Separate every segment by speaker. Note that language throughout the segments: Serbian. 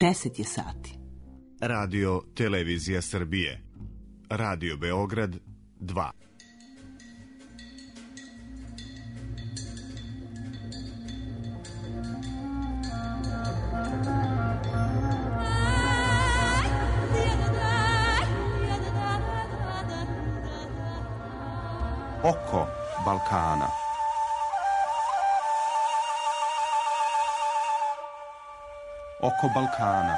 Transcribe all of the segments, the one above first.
Speaker 1: 10 je sati.
Speaker 2: Radio Televizija Srbije. Radio Beograd 2.
Speaker 3: Oko Balkana. Oko Balkana.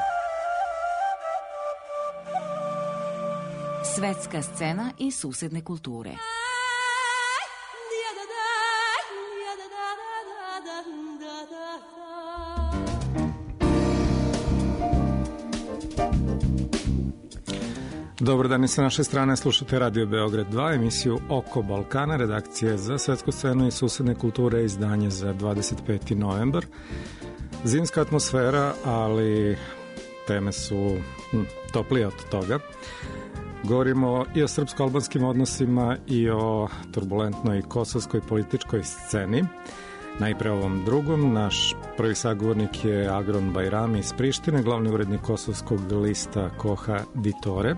Speaker 4: Svetska scena i susedne kulture.
Speaker 5: Dobar dan i sa naše strane, slušate Radio Beograd 2, emisiju Oko Balkana, redakcije za svetsku scenu i susedne kulture, izdanje za 25. novembar. Zimska atmosfera, ali teme su toplije od toga. Govorimo i o srpsko-albanskim odnosima i o turbulentnoj kosovskoj političkoj sceni. Najpre ovom drugom, naš prvi sagovornik je Agron Bajrami iz Prištine, glavni urednik kosovskog lista Koha Ditore,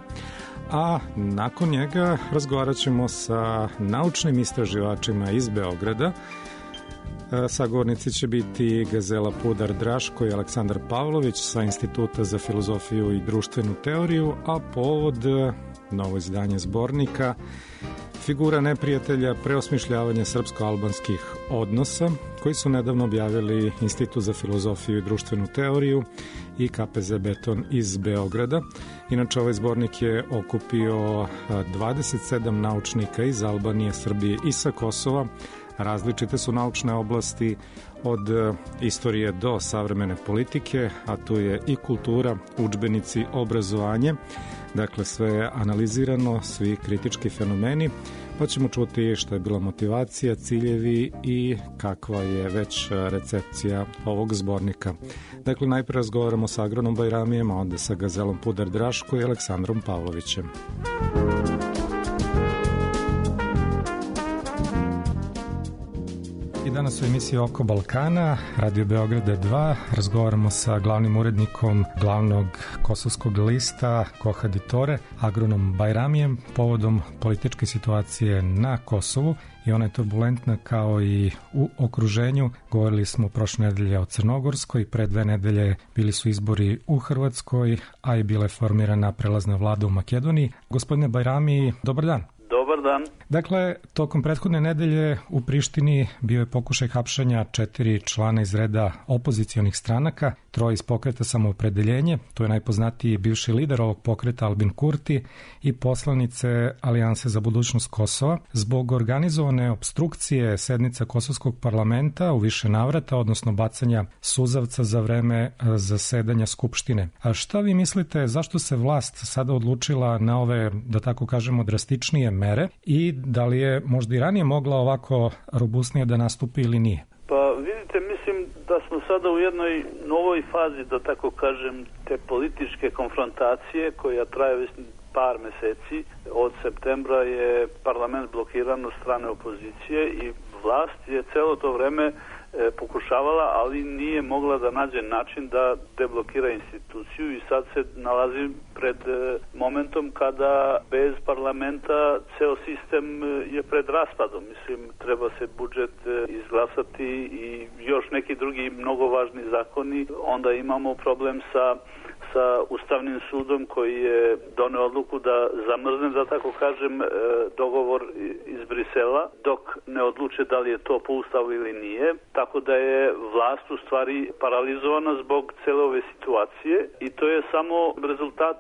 Speaker 5: a nakon njega razgovarat ćemo sa naučnim istraživačima iz Beograda. Sagovornici će biti Gazela Pudar Draško i Aleksandar Pavlović sa Instituta za filozofiju i društvenu teoriju, a povod novo izdanje zbornika Figura neprijatelja, preosmišljavanje srpsko-albanskih odnosa, koji su nedavno objavili Institut za filozofiju i društvenu teoriju i KPZ Beton iz Beograda. Inače, ovaj zbornik je okupio 27 naučnika iz Albanije, Srbije i sa Kosova. Različite su naučne oblasti od istorije do savremene politike, a tu je i kultura, udžbenici, obrazovanje. Dakle, sve je analizirano, svi kritički fenomeni, pa ćemo čuti šta je bila motivacija, ciljevi i kakva je već recepcija ovog zbornika. Dakle, najprije razgovaramo sa Agronom Bajramijem, a onda sa Gazelom Pudar Draško i Aleksandrom Pavlovićem. I danas u emisiji Oko Balkana, Radio Beograda 2, razgovaramo sa glavnim urednikom glavnog kosovskog lista Koha Ditore, Agronom Bajramijem, povodom političke situacije na Kosovu i ona je turbulentna kao i u okruženju. Govorili smo prošle nedelje o Crnogorskoj, pre 2 nedelje bili su izbori u Hrvatskoj, a i bila je formirana prelazna vlada u Makedoniji. Gospodine Bajrami, dobar dan.
Speaker 6: Dobar dan.
Speaker 5: Dakle, tokom prethodne nedelje u Prištini bio je pokušaj hapšenja 4 člana iz reda opozicionih stranaka, 3 iz pokreta Samoopredeljenje, to je najpoznatiji bivši lider ovog pokreta Albin Kurti i poslanice Alijanse za budućnost Kosova, zbog organizovane opstrukcije sednica Kosovskog parlamenta u više navrata, odnosno bacanja suzavca za vreme zasedanja Skupštine. A šta vi mislite, zašto se vlast sada odlučila na ove, da tako kažemo, drastičnije mere i da li je možda i ranije mogla ovako robustnije da nastupi ili nije?
Speaker 6: Pa vidite, mislim da smo sada u jednoj novoj fazi, da tako kažem, te političke konfrontacije koja traje već par meseci. Od septembra je parlament blokiran od strane opozicije i vlast je celo to vreme pokušavala, ali nije mogla da nađe način da deblokira instituciju i sad se nalazi pred momentom kada bez parlamenta ceo sistem je pred raspadom. Mislim, treba se budžet izglasati i još neki drugi mnogo važni zakoni. Onda imamo problem sa Ustavnim sudom koji je doneo odluku da zamrzne, da tako kažem, dogovor iz Brisela dok ne odluče da li je to po Ustavu ili nije. Tako da je vlast u stvari paralizovana zbog cele ove situacije i to je samo rezultat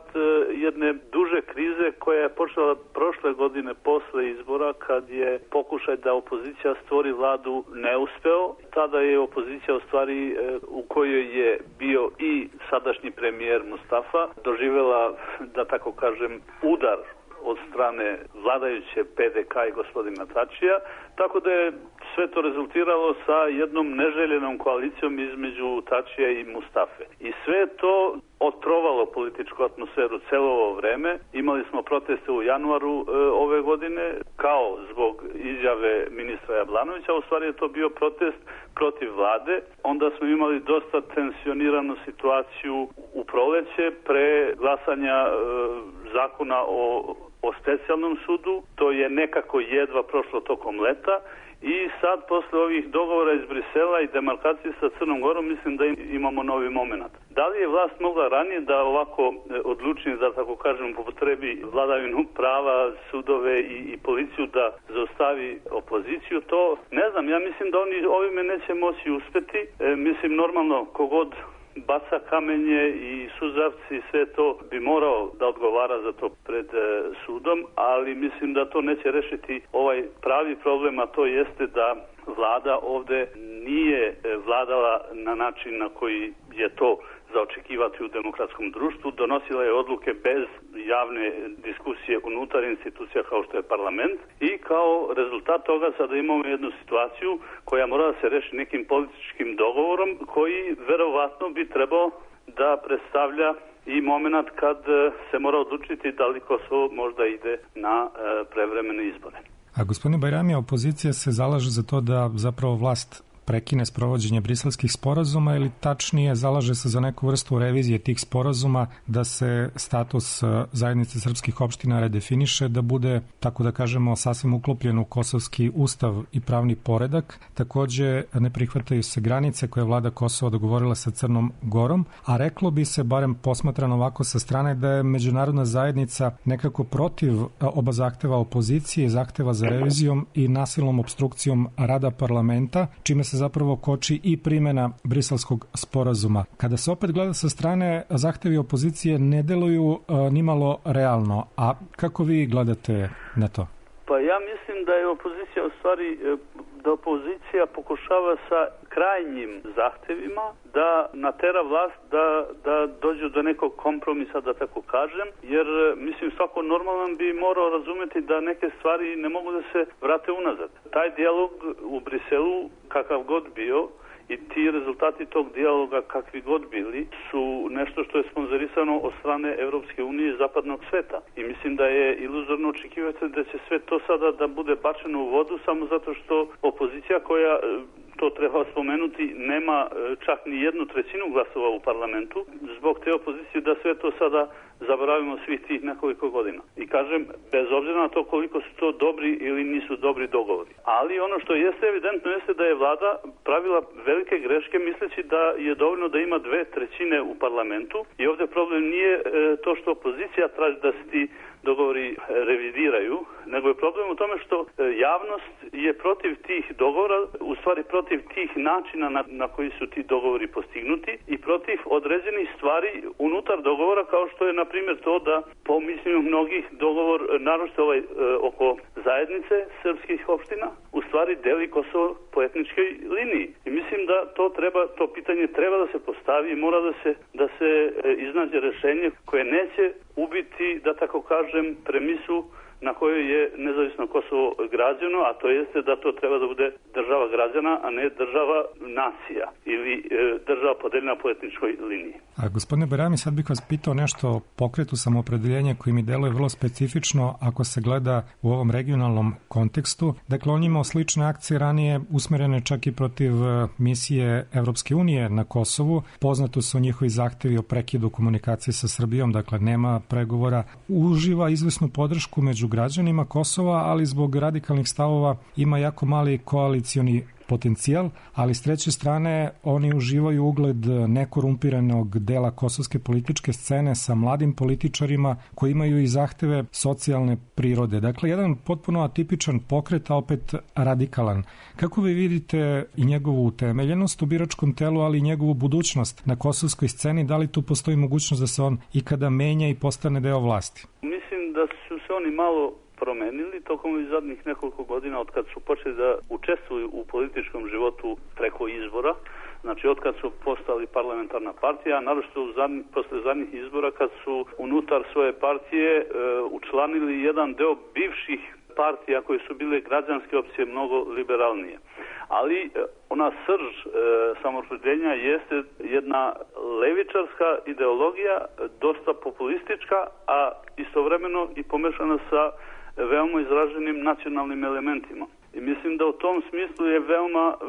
Speaker 6: jedne duže krize koja je počela prošle godine posle izbora kad je pokušaj da opozicija stvori vladu neuspeo. Tada je opozicija u stvari u kojoj je bio i sadašnji premijer Mustafa doživjela, da tako kažem, udar od strane vladajuće PDK i gospodina Tačija, tako da je sve to rezultiralo sa jednom neželjenom koalicijom između Tačija i Mustafe. I sve to otrovalo političku atmosferu celo ovo vreme. Imali smo proteste u januaru ove godine, kao zbog izjave ministra Jablanovića, u stvari je to bio protest protiv vlade. Onda smo imali dosta tensioniranu situaciju u proleće pre glasanja zakona o specijalnom sudu. To je nekako jedva prošlo tokom leta. I sad, posle ovih dogovora iz Brisela i demarkacije sa Crnom Gorom, mislim da imamo novi moment. Da li je vlast mogla ranije da ovako odlučnije, da tako kažem, upotrebi vladavinu prava, sudove i policiju da zaustavi opoziciju? To ne znam. Ja mislim da oni ovime neće moći uspeti. Mislim, normalno, kogod baca kamenje i suzavci, sve to bi morao da odgovara za to pred sudom, ali mislim da to neće rešiti ovaj pravi problem, a to jeste da vlada ovde nije vladala na način na koji je to za očekivati u demokratskom društvu. Donosila je odluke bez javne diskusije unutar institucija kao što je parlament i kao rezultat toga sada imamo jednu situaciju koja mora da se reši nekim političkim dogovorom koji verovatno bi trebao da predstavlja i moment kad se mora odlučiti da li Kosovo možda ide na prevremene izbore.
Speaker 5: A gospodine Bajrami, opozicija se zalaže za to da zapravo vlast prekine sprovođenje briselskih sporazuma ili tačnije zalaže se za neku vrstu revizije tih sporazuma, da se status zajednice srpskih opština redefiniše, da bude, tako da kažemo, sasvim uklopljen u kosovski ustav i pravni poredak. Takođe ne prihvataju se granice koje je vlada Kosova dogovorila sa Crnom Gorom, a reklo bi se, barem posmatrano ovako sa strane, da je međunarodna zajednica nekako protiv oba zahteva opozicije, zahteva za revizijom i nasilnom opstrukcijom rada parlamenta, čime se zapravo koči i primjena briselskog sporazuma. Kada se opet gleda sa strane, zahtevi opozicije ne deluju nimalo realno. A kako vi gledate na to?
Speaker 6: Pa ja mislim da je opozicija u stvari, da opozicija pokušava sa krajnjim zahtevima da natera vlast da dođu do nekog kompromisa, da tako kažem, jer mislim svako normalan bi morao razumeti da neke stvari ne mogu da se vrate unazad. Taj dijalog u Briselu, kakav god bio, i ti rezultati tog dijaloga, kakvi god bili, su nešto što je sponzorisano od strane Evropske unije i zapadnog sveta. I mislim da je iluzorno očekivati da će sve to sada da bude bačeno u vodu samo zato što opozicija, koja, to treba spomenuti, nema čak ni 1/3 glasova u parlamentu, zbog te opozicije da sve to sada zaboravimo svih tih nekoliko godina. I kažem, bez obzira na to koliko su to dobri ili nisu dobri dogovori. Ali ono što jeste evidentno jeste da je vlada pravila velike greške misleći da je dovoljno da ima 2/3 u parlamentu i ovdje problem nije to što opozicija traži da se ti dogovori revidiraju, nego je problem u tome što javnost je protiv tih dogovora, u stvari protiv tih načina na koji su ti dogovori postignuti i protiv određenih stvari unutar dogovora, kao što je na primjer to da po mišljenju mnogih dogovor, naročito ovaj oko zajednice srpskih opština, u stvari deli Kosovo po etničkoj liniji. I mislim da to pitanje treba da se postavi i mora da se iznađe rešenje koje neće ubiti, da tako kažem, premisu na kojoj je nezavisno Kosovo građeno, a to jeste da to treba da bude država građana, a ne država nacija ili država podeljena po etničkoj liniji.
Speaker 5: A gospodine Bajrami, sad bih vas pitao nešto o pokretu samoopredeljenja koji mi deluje vrlo specifično ako se gleda u ovom regionalnom kontekstu. Dakle, on imao slične akcije ranije usmerene čak i protiv misije Evropske unije na Kosovu. Poznato su njihovi zahtevi o prekidu komunikacije sa Srbijom, dakle nema pregovora. Uživa izvesnu podršku među građanima Kosova, ali zbog radikalnih stavova ima jako mali koalicioni potencijal, ali s treće strane oni uživaju ugled nekorumpiranog dela kosovske političke scene sa mladim političarima koji imaju i zahteve socijalne prirode. Dakle, jedan potpuno atipičan pokret, a opet radikalan. Kako vi vidite i njegovu utemeljenost u biračkom telu, ali i njegovu budućnost na kosovskoj sceni? Da li tu postoji mogućnost da se on ikada menja i postane deo vlasti?
Speaker 6: Mislim da su se oni malo promenili tokom zadnjih nekoliko godina od kad su počeli da učestvuju u političkom životu preko izbora, znači od kad su postali parlamentarna partija, naročito posle zadnjih izbora kad su unutar svoje partije učlanili jedan deo bivših partija koje su bile građanske opcije mnogo liberalnije. Ali ona srž samoopredeljenja jeste jedna levičarska ideologija, dosta populistička, a istovremeno i pomešana sa veoma izraženim nacionalnim elementima. I mislim da u tom smislu je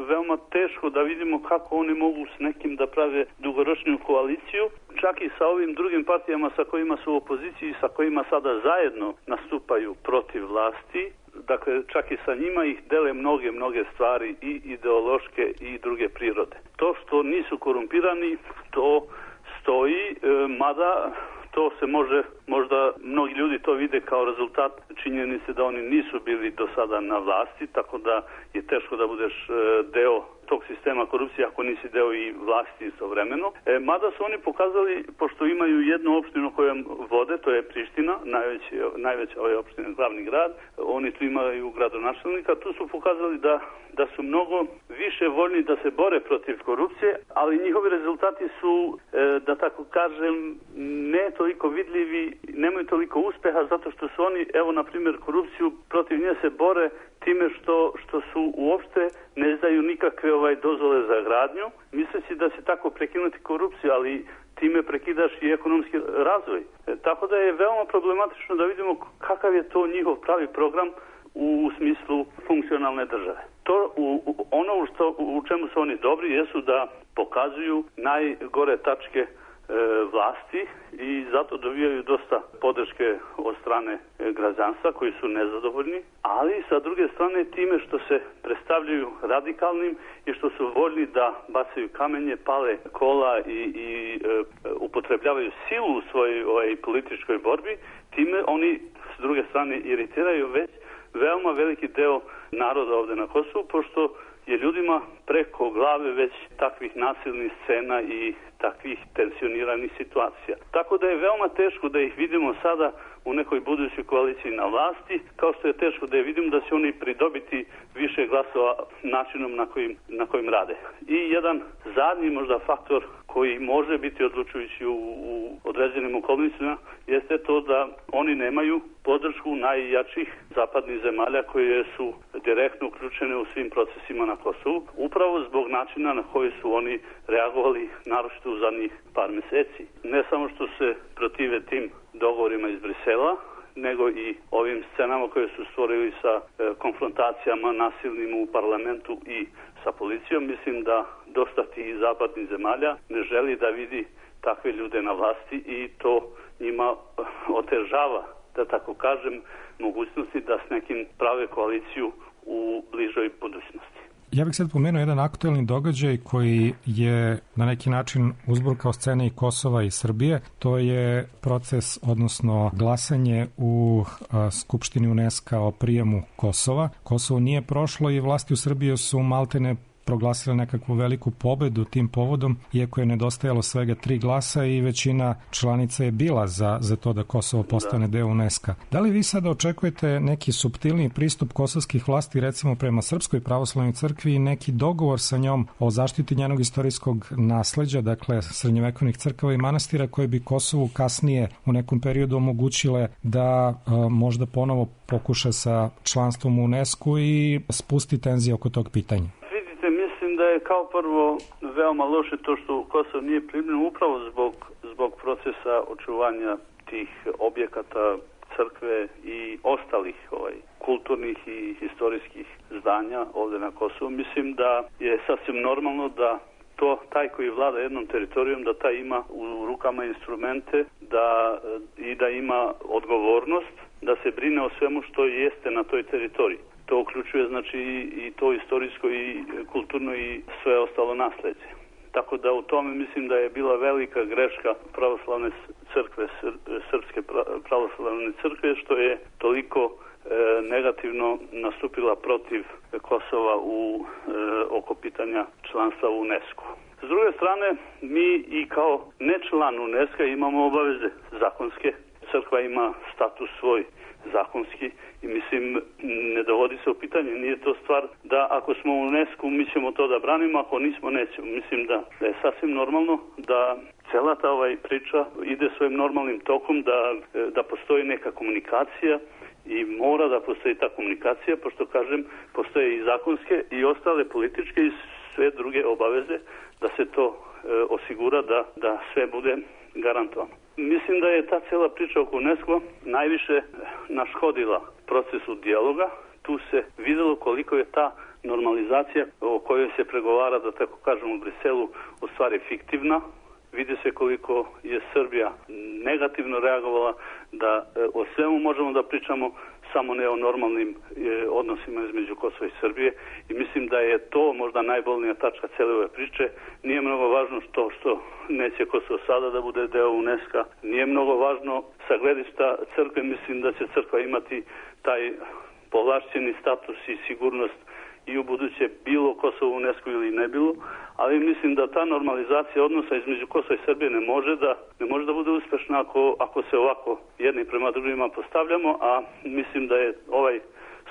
Speaker 6: veoma teško da vidimo kako oni mogu s nekim da prave dugoročnu koaliciju, čak i sa ovim drugim partijama sa kojima su u opoziciji, sa kojima sada zajedno nastupaju protiv vlasti. Dakle, čak i sa njima ih dele mnoge stvari i ideološke i druge prirode. To što nisu korumpirani, to stoji, mada to se može, možda mnogi ljudi to vide kao rezultat činjenice da oni nisu bili do sada na vlasti, tako da je teško da budeš deo tog sistema korupcije ako nisi deo i vlasti istovremeno. Mada su oni pokazali, pošto imaju jednu opštinu kojom vode, to je Priština, najveća ova opština, glavni grad, oni tu imaju gradonačelnika, tu su pokazali da su mnogo više voljni da se bore protiv korupcije, ali njihovi rezultati su, da tako kažem, ne toliko vidljivi, nemaju toliko uspeha, zato što su oni, evo na primjer, korupciju protiv nje se bore time što su uopšte ne izdaju nikakve dozvole za gradnju, misleći da će tako prekinuti korupciju, ali time prekidaš i ekonomski razvoj. Tako da je veoma problematično da vidimo kakav je to njihov pravi program u smislu funkcionalne države. To ono u čemu su oni dobri jesu da pokazuju najgore tačke vlasti i zato dobijaju dosta podrške od strane građanstva koji su nezadovoljni, ali sa druge strane time što se predstavljaju radikalnim i što su voljni da bacaju kamenje, pale kola i upotrebljavaju silu u svojoj političkoj borbi, time oni s druge strane iritiraju već veoma veliki deo naroda ovde na Kosovu, pošto je ljudima preko glave već takvih nasilnih scena i takvih tensioniranih situacija. Tako da je veoma teško da ih vidimo sada u nekoj budućoj koaliciji na vlasti, kao što je teško da je vidimo da će oni pridobiti više glasova načinom na kojim rade. I jedan zadnji možda faktor koji može biti odlučujući u određenim okolnostima jeste to da oni nemaju podršku najjačih zapadnih zemalja koje su direktno uključene u svim procesima na Kosovu, upravo zbog načina na koji su oni reagovali naročito u zadnjih par meseci. Ne samo što se protive tim dogovorima iz Brisela, nego i ovim scenama koje su stvorili sa konfrontacijama nasilnim u parlamentu i sa policijom. Mislim da dosta tih zapadnih zemalja ne želi da vidi takve ljude na vlasti i to njima otežava, da tako kažem, mogućnosti da s nekim prave koaliciju u bližoj budućnosti.
Speaker 5: Ja bih sad pomenuo jedan aktuelni događaj koji je na neki način uzburkao scene i Kosova i Srbije. To je proces, odnosno glasanje u Skupštini UNESCO o prijemu Kosova. Kosovo nije prošlo i vlasti u Srbiji su maltene proglasile nekakvu veliku pobedu tim povodom, iako je nedostajalo svega 3 glasa i većina članica je bila za to da Kosovo postane deo UNESCO. Da li vi sada očekujete neki suptilniji pristup kosovskih vlasti recimo prema Srpskoj pravoslavnoj crkvi i neki dogovor sa njom o zaštiti njenog istorijskog nasleđa, dakle srednjovekovnih crkava i manastira, koje bi Kosovu kasnije u nekom periodu omogućile da možda ponovo pokuša sa članstvom u UNESCO i spusti tenzije oko tog pitanja?
Speaker 6: Mislim da je kao prvo veoma loše to što Kosovo nije primljeno upravo zbog procesa očuvanja tih objekata crkve i ostalih kulturnih i historijskih zdanja ovde na Kosovu. Mislim da je sasvim normalno da taj koji vlada jednom teritorijom, da taj ima u rukama instrumente da ima odgovornost da se brine o svemu što jeste na toj teritoriji. To uključuje znači i to istorijsko i kulturno i sve ostalo nasleđe. Tako da u tome mislim da je bila velika greška pravoslavne crkve, Srpske pravoslavne crkve, što je toliko negativno nastupila protiv Kosova oko pitanja članstva u UNESCO. S druge strane, mi i kao nečlan UNESCO imamo obaveze zakonske. Crkva ima status svoj zakonski i mislim ne dovodi se u pitanje, nije to stvar da ako smo u UNESCO mi ćemo to da branimo, ako nismo nećemo. Mislim da je sasvim normalno da cela ta priča ide svojim normalnim tokom, da postoji neka komunikacija i mora da postoji ta komunikacija, pošto kažem postoje i zakonske i ostale političke i sve druge obaveze da se to osigura da sve bude garantovano. Mislim da je ta cela priča oko UNESCO najviše naškodila procesu dijaloga, tu se videlo koliko je ta normalizacija o kojoj se pregovara, da tako kažem, u Briselu, u stvari fiktivna. Vidi se koliko je Srbija negativno reagovala, da o svemu možemo da pričamo, samo ne o normalnim odnosima između Kosova i Srbije, i mislim da je to možda najbolnija tačka cele ove priče. Nije mnogo važno što neće Kosovo sada da bude deo UNESCO-a, nije mnogo važno sa gledišta crkve, mislim da će crkva imati taj povlašćeni status i sigurnost i u buduće bilo Kosovo u UNESCO ili ne bilo, ali mislim da ta normalizacija odnosa između Kosova i Srbije ne može da bude uspešna ako se ovako jedni prema drugima postavljamo, a mislim da je ovaj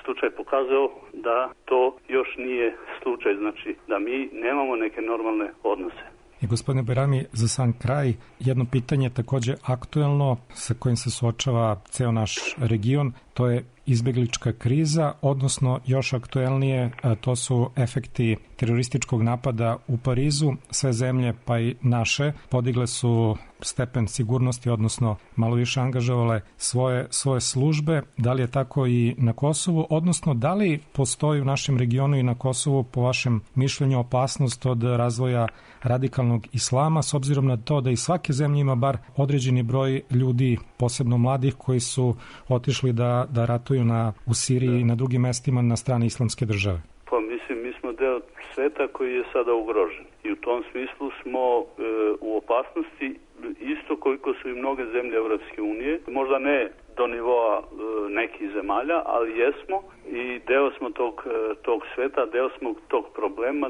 Speaker 6: slučaj pokazao da to još nije slučaj, znači da mi nemamo neke normalne odnose.
Speaker 5: I gospodine Bajrami, za sam kraj, jedno pitanje takođe aktuelno sa kojim se suočava ceo naš region, to je izbeglička kriza, odnosno još aktuelnije, to su efekti terorističkog napada u Parizu. Sve zemlje, pa i naše, podigle su stepen sigurnosti, odnosno malo više angažovale svoje službe. Da li je tako i na Kosovu, odnosno da li postoji u našem regionu i na Kosovu, po vašem mišljenju, opasnost od razvoja radikalnog islama, s obzirom na to da i svake zemlje ima bar određeni broj ljudi, posebno mladih, koji su otišli da ratuju u Siriji i na drugim mestima na strani islamske države?
Speaker 6: Pa mislim, mi smo deo sveta koji je sada ugrožen i u tom smislu smo u opasnosti isto koliko su i mnoge zemlje Evropske unije, možda ne do nivoa nekih zemalja, ali jesmo i deo smo tog sveta, deo smo tog problema,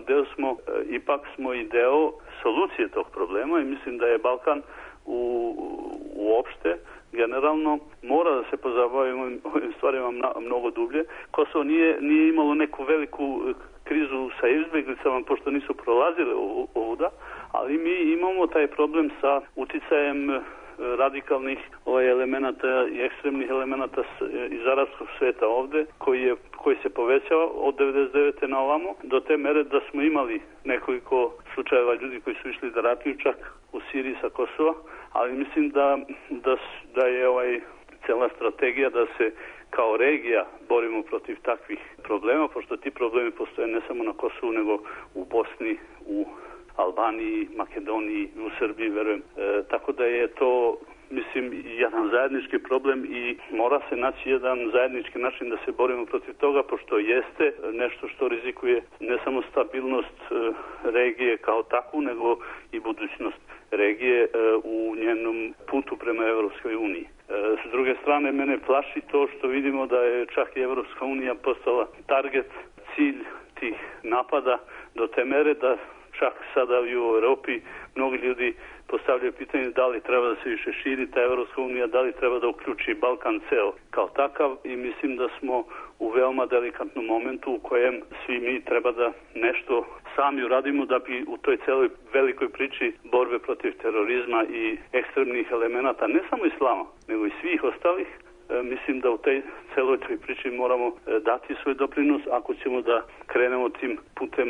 Speaker 6: ipak smo i deo solucije tog problema, i mislim da je Balkan uopšte generalno mora da se pozabavimo ovim stvarima mnogo dublje. Kosovo nije imalo neku veliku krizu sa izbjeglicama, pošto nisu prolazile ovuda, ali mi imamo taj problem sa uticajem radikalnih elemenata i ekstremnih elemenata iz arapskog sveta ovde, koji se povećava od 99. na ovamo, do te mere da smo imali nekoliko slučajeva ljudi koji su išli da ratuju čak u Siriji sa Kosova, ali mislim da je cela strategija da se kao regija borimo protiv takvih problema, pošto ti problemi postoje ne samo na Kosovu, nego u Bosni, u Albaniji, Makedoniji, u Srbiji, verujem. Tako da je to, mislim, jedan zajednički problem i mora se naći jedan zajednički način da se borimo protiv toga, pošto jeste nešto što rizikuje ne samo stabilnost regije kao takvu, nego i budućnost regije u njenom putu prema Evropskoj uniji. S druge strane, mene plaši to što vidimo da je čak i Evropska unija postala target, cilj tih napada do te mere da čak sada u Europi mnogi ljudi postavljaju pitanje da li treba da se više širi ta Evropska unija, da li treba da uključi Balkan ceo kao takav, i mislim da smo u veoma delikatnom momentu u kojem svi mi treba da nešto sami uradimo da bi u toj celoj velikoj priči borbe protiv terorizma i ekstremnih elemenata, ne samo islama, nego i svih ostalih, mislim da u tej celoj toj priči moramo dati svoj doprinos ako ćemo da krenemo tim putem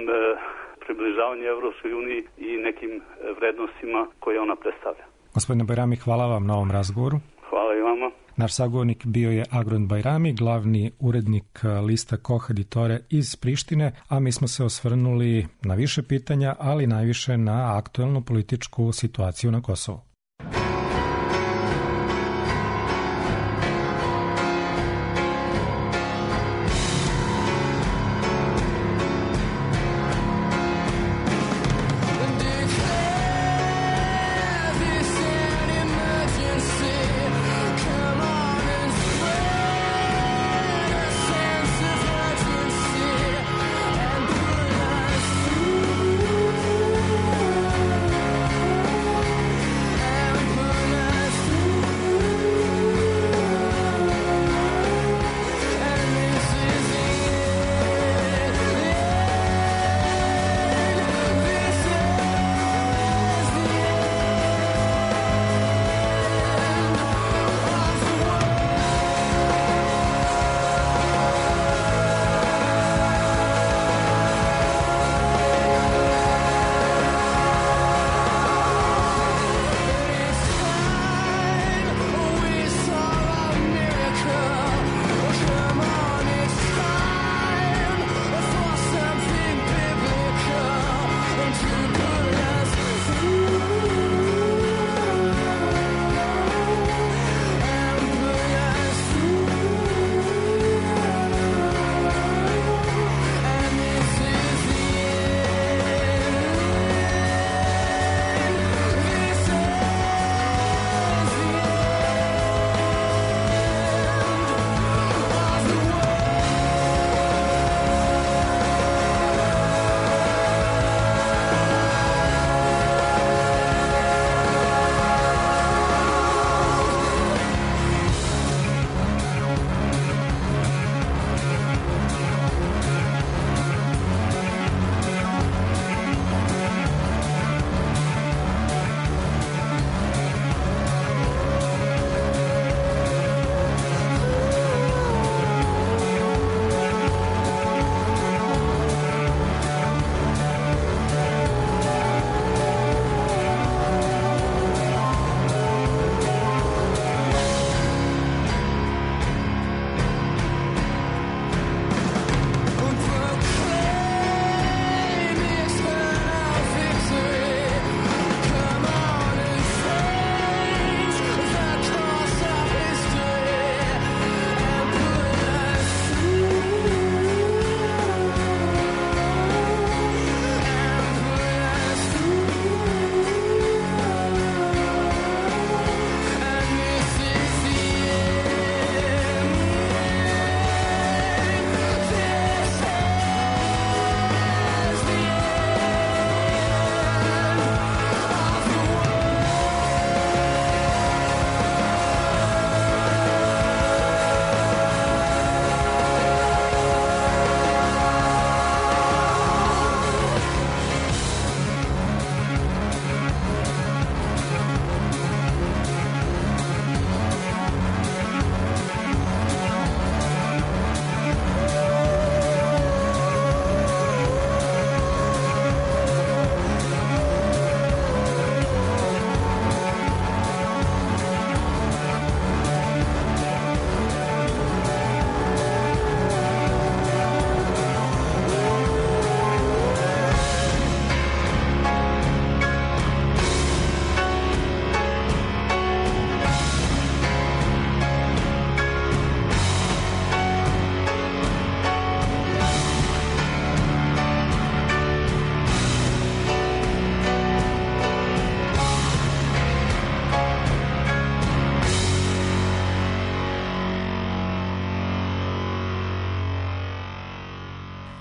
Speaker 6: približavanja Evropskoj uniji i nekim vrednostima koje ona predstavlja.
Speaker 5: Gospodine Bajrami, hvala vam na ovom razgovoru.
Speaker 6: Hvala i vama.
Speaker 5: Naš sagovornik bio je Agron Bajrami, glavni urednik lista Koh Editore iz Prištine, a mi smo se osvrnuli na više pitanja, ali najviše na aktuelnu političku situaciju na Kosovu.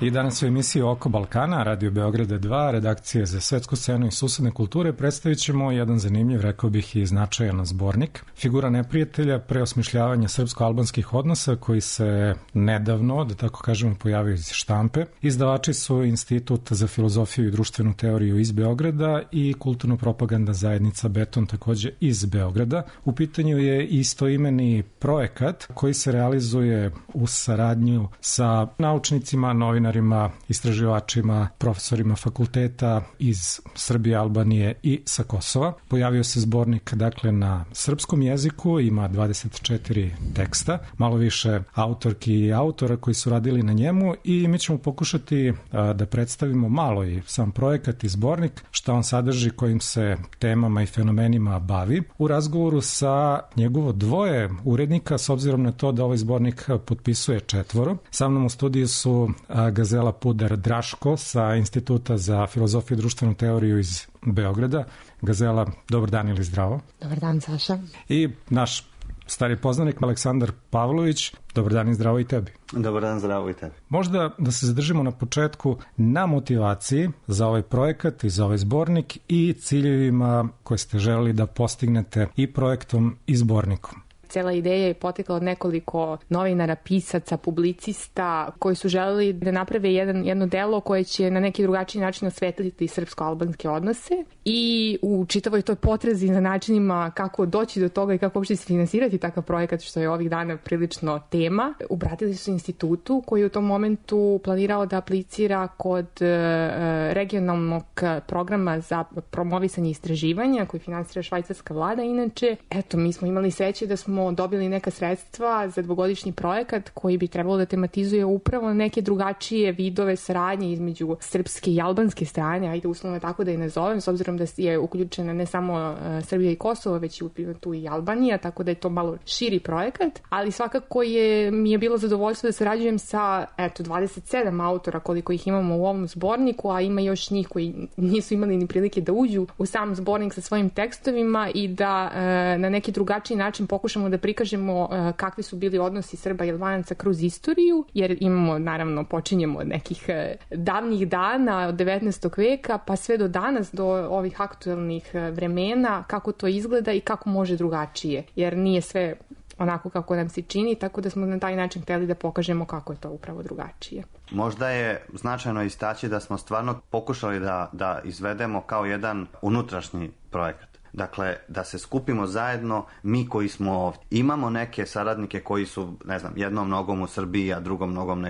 Speaker 5: I danas u emisiji Oko Balkana, Radio Beograda 2, redakcije za svetsku scenu i susedne kulture, predstavit ćemo jedan zanimljiv, rekao bih i značajan zbornik. Figura neprijatelja, preosmišljavanja srpsko-albanskih odnosa koji se nedavno, da tako kažemo, pojavio iz štampe. Izdavači su Institut za filozofiju i društvenu teoriju iz Beograda i kulturno-propagandna zajednica Beton takođe iz Beograda. U pitanju je istoimeni projekat koji se realizuje u saradnju sa naučnicima, novinarima, istraživačima, profesorima fakulteta iz Srbije, Albanije i sa Kosova. Pojavio se zbornik dakle na srpskom jeziku, ima 24 teksta, malo više autorki i autora koji su radili na njemu i mi ćemo pokušati da predstavimo malo i sam projekat i zbornik, šta on sadrži, kojim se temama i fenomenima bavi. U razgovoru sa njegovo dvoje urednika, s obzirom na to da ovaj zbornik potpisuje 4. Sa mnom u studiju su Gazela Pudar Draško sa Instituta za filozofiju i društvenu teoriju iz Beograda. Gazela, dobar dan ili zdravo.
Speaker 1: Dobar dan, Saša.
Speaker 5: I naš stari poznanik Aleksandar Pavlović. Dobar dan i zdravo i tebi.
Speaker 7: Dobar dan, zdravo i tebi.
Speaker 5: Možda da se zadržimo na početku na motivaciji za ovaj projekat i za ovaj zbornik i ciljevima koje ste želeli da postignete i projektom i zbornikom.
Speaker 1: Cela ideja je potekla od nekoliko novinara, pisaca, publicista koji su želeli da naprave jedno delo koje će na neki drugačiji način osvetliti srpsko-albanske odnose i u čitavoj toj potrazi za načinima kako doći do toga i kako uopšte se finansirati takav projekat, što je ovih dana prilično tema, obratili su institutu koji je u tom momentu planirao da aplicira kod regionalnog programa za promovisanje istraživanja koji finansira švajcarska vlada. Inače, mi smo imali sreće da smo dobili neka sredstva za 2-godišnji projekat koji bi trebalo da tematizuje upravo neke drugačije vidove saradnje između srpske i albanske strane, ajde uslovno tako da je nazovem, s obzirom da je uključena ne samo Srbija i Kosovo, već i tu i Albanija, tako da je to malo širi projekat, ali svakako mi je bilo zadovoljstvo da sarađujem sa 27 autora koliko ih imamo u ovom zborniku, a ima još njih koji nisu imali ni prilike da uđu u sam zbornik sa svojim tekstovima i da na neki drugačiji način pokušamo da prikažemo kakvi su bili odnosi Srba i Albanaca kroz istoriju, jer imamo, naravno, počinjemo od nekih davnih dana, od 19. veka, pa sve do danas, do ovih aktuelnih vremena, kako to izgleda i kako može drugačije, jer nije sve onako kako nam se čini, tako da smo na taj način hteli da pokažemo kako je to upravo drugačije.
Speaker 7: Možda je značajno istaći da smo stvarno pokušali da izvedemo kao jedan unutrašnji projekat. Dakle, da se skupimo zajedno, mi koji smo ovdje. Imamo neke saradnike koji su, jednom nogom u Srbiji, a drugom nogom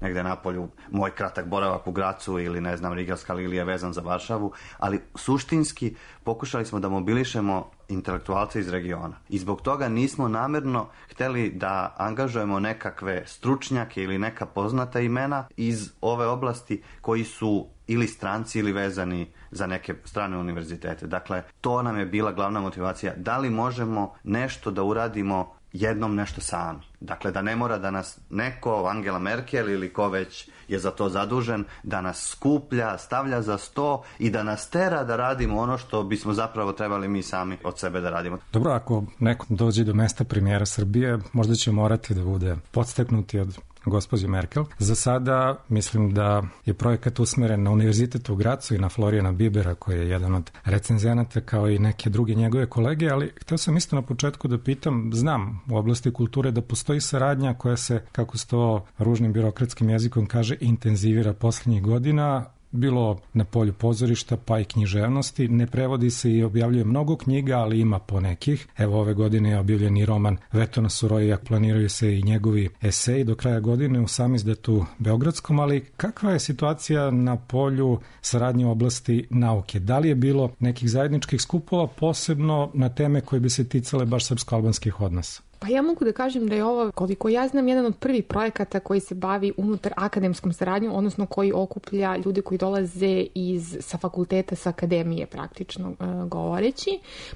Speaker 7: negde napolju. Moj kratak boravak u Gracu ili, Rigelska lilija vezan za Varšavu, ali suštinski pokušali smo da mobilišemo intelektualce iz regiona. I zbog toga nismo namerno hteli da angažujemo nekakve stručnjake ili neka poznata imena iz ove oblasti koji su ili stranci ili vezani za neke strane univerzitete. Dakle, to nam je bila glavna motivacija. Da li možemo nešto da uradimo jednom nešto sami? Dakle, da ne mora da nas neko, Angela Merkel ili ko već je za to zadužen, da nas skuplja, stavlja za sto i da nas tera da radimo ono što bismo zapravo trebali mi sami od sebe da radimo.
Speaker 5: Dobro, ako neko dođe do mesta premijera Srbije, možda će morati da bude podstaknuti od gospođe Merkel. Za sada mislim da je projekat usmeren na Univerzitet u Gracu i na Florijana Bibera, koji je jedan od recenzenata kao i neke druge njegove kolege, ali htio sam isto na početku da pitam, znam u oblasti kulture da postoji saradnja koja se, kako se to ružnim birokratskim jezikom kaže, intenzivira poslednjih godina, bilo na polju pozorišta pa i književnosti. Ne prevodi se i objavljuje mnogo knjiga, ali ima po nekih. Evo, ove godine je objavljen i roman Vetona Suroija, planiraju se i njegovi eseji do kraja godine u samizdatu beogradskom, ali kakva je situacija na polju saradnje u oblasti nauke? Da li je bilo nekih zajedničkih skupova, posebno na teme koje bi se ticale baš srpsko-albanskih odnosa?
Speaker 1: Pa ja mogu da kažem da je ovo, koliko ja znam, jedan od prvih projekata koji se bavi unutar akademskom saradnjom, odnosno koji okuplja ljude koji dolaze sa fakulteta, sa akademije, praktično govoreći.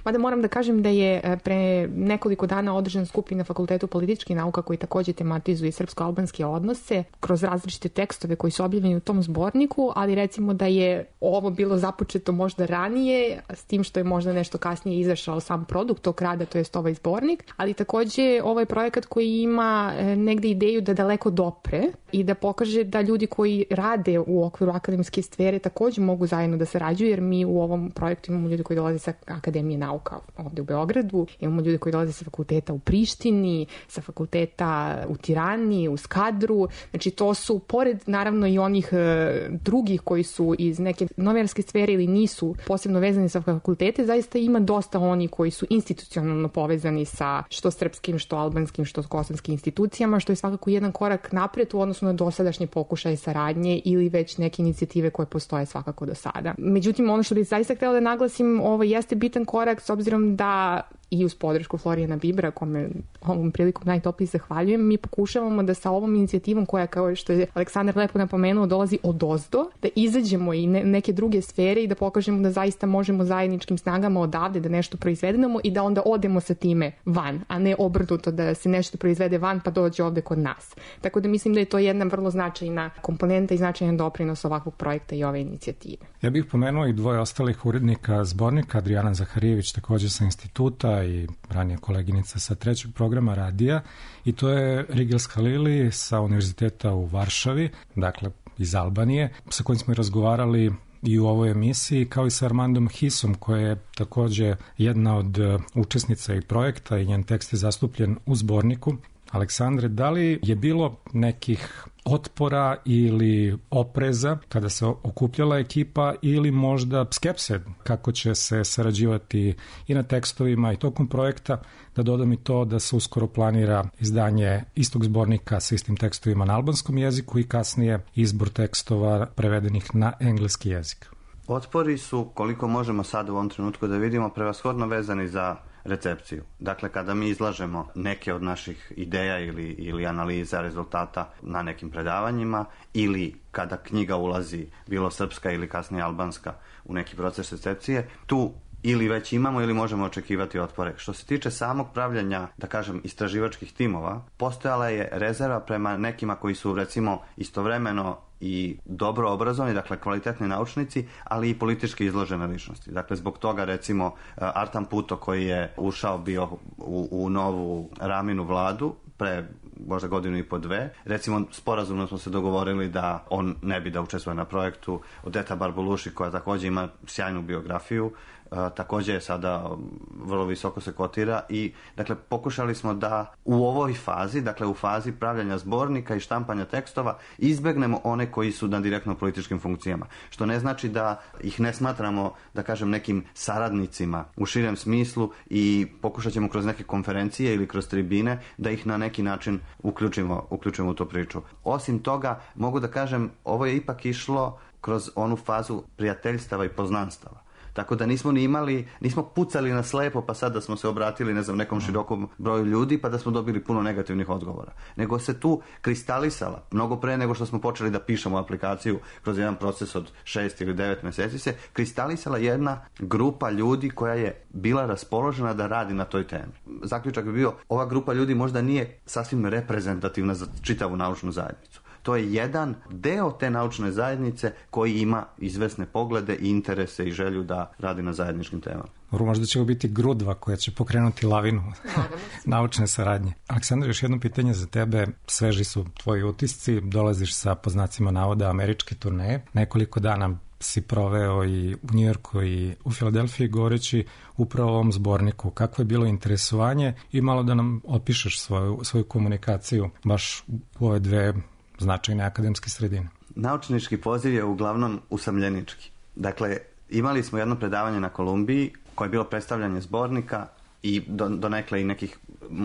Speaker 1: Mada moram da kažem da je pre nekoliko dana održan skup na Fakultetu političkih nauka koji takođe tematizuje srpsko-albanske odnose kroz različite tekstove koji su objavljeni u tom zborniku, ali recimo da je ovo bilo započeto možda ranije, s tim što je možda nešto kasnije izašao sam produkt tog rada, to jest ovaj zbornik, ali takođe takođe ovaj projekat koji ima negde ideju da daleko dopre i da pokaže da ljudi koji rade u okviru akademske sfere takođe mogu zajedno da sarađuju, jer mi u ovom projektu imamo ljudi koji dolaze sa Akademije nauka ovde u Beogradu, imamo ljudi koji dolaze sa fakulteta u Prištini, sa fakulteta u Tirani, u Skadru. Znači to su, pored naravno i onih drugih koji su iz neke novinarske sfere ili nisu posebno vezani sa fakultete, zaista ima dosta oni koji su institucionalno povezani sa što srpskim, što albanskim, što kosovskim institucijama, što je svakako jedan korak napred u odnosu na dosadašnje pokušaje saradnje ili već neke inicijative koje postoje svakako do sada. Međutim, ono što bih zaista htjela da naglasim, ovo jeste bitan korak s obzirom da i uz podršku Florijana Bibra, kome ovom prilikom najtoplije zahvaljujem, mi pokušavamo da sa ovom inicijativom koja, kao što je Aleksandar lepo napomenuo, dolazi odozdo, da izađemo i neke druge sfere i da pokažemo da zaista možemo zajedničkim snagama odavde da nešto proizvedemo i da onda odemo sa time van, a ne obrnuto da se nešto proizvede van pa dođe ovde kod nas. Tako da mislim da je to jedna vrlo značajna komponenta i značajan doprinos ovakvog projekta i ove inicijative.
Speaker 5: Ja bih pomenuo i dvoje ostalih urednika zbornika, Adrijana Zaharijević takođe sa instituta i ranija koleginica sa 3. programa radija, i to je Rigels Halili sa Univerziteta u Varšavi, dakle iz Albanije, sa kojim smo i razgovarali i u ovoj emisiji, kao i sa Armandom Hisom, koja je takođe jedna od učesnica i projekta i njen tekst je zastupljen u zborniku. Aleksandre, da li je bilo nekih otpora ili opreza kada se okupljala ekipa ili možda skepse kako će se sarađivati i na tekstovima i tokom projekta? Da dodam i to da se uskoro planira izdanje istog zbornika sa istim tekstovima na albanskom jeziku i kasnije izbor tekstova prevedenih na engleski jezik.
Speaker 7: Otpori su, koliko možemo sad u ovom trenutku da vidimo, prevashodno vezani za recepciju. Dakle, kada mi izlažemo neke od naših ideja ili analiza rezultata na nekim predavanjima ili kada knjiga ulazi, bilo srpska ili kasnije albanska, u neki proces recepcije, tu ili već imamo ili možemo očekivati otpore. Što se tiče samog pravljanja, da kažem, istraživačkih timova, postojala je rezerva prema nekima koji su, recimo, istovremeno i dobro obrazovani, dakle kvalitetni naučnici, ali i politički izložene ličnosti. Dakle, zbog toga, recimo, Artan Puto, koji je ušao bio u novu Raminu vladu pre možda godinu i po dve, recimo sporazumno smo se dogovorili da on ne bi da učestvuje na projektu. Odeta Barbuluši, koja takođe ima sjajnu biografiju, takođe je sada vrlo visoko se kotira i dakle pokušali smo da u ovoj fazi, dakle u fazi pravljanja zbornika i štampanja tekstova, izbegnemo one koji su na direktno političkim funkcijama, što ne znači da ih ne smatramo, da kažem, nekim saradnicima u širem smislu i pokušat ćemo kroz neke konferencije ili kroz tribine da ih na neki način uključimo u tu priču. Osim toga, mogu da kažem, ovo je ipak išlo kroz onu fazu prijateljstava i poznanstava. Tako da nismo pucali na slepo pa sad da smo se obratili, ne znam, nekom širokom broju ljudi pa da smo dobili puno negativnih odgovora. Nego se tu kristalisala, mnogo pre nego što smo počeli da pišemo aplikaciju kroz jedan proces od 6 ili 9 meseci, se kristalisala jedna grupa ljudi koja je bila raspoložena da radi na toj temi. Zaključak bi bio, ova grupa ljudi možda nije sasvim reprezentativna za čitavu naučnu zajednicu. To je jedan deo te naučne zajednice koji ima izvesne poglede i interese i želju da radi na zajedničkim temama.
Speaker 5: Možda će ovo biti grudva koja će pokrenuti lavinu naučne saradnje. Aleksandar, još jedno pitanje za tebe. Sveži su tvoji utisci, dolaziš sa, po znacima navoda, američke turneje. Nekoliko dana si proveo i u Njujorku i u Filadelfiji govoreći upravo o ovom zborniku. Kakvo je bilo interesovanje i malo da nam opišeš svoju komunikaciju baš u ove dve značajne akademske sredine.
Speaker 7: Naučnički poziv je uglavnom usamljenički. Dakle, imali smo jedno predavanje na Kolumbiji koje je bilo predstavljanje zbornika i donekle i nekih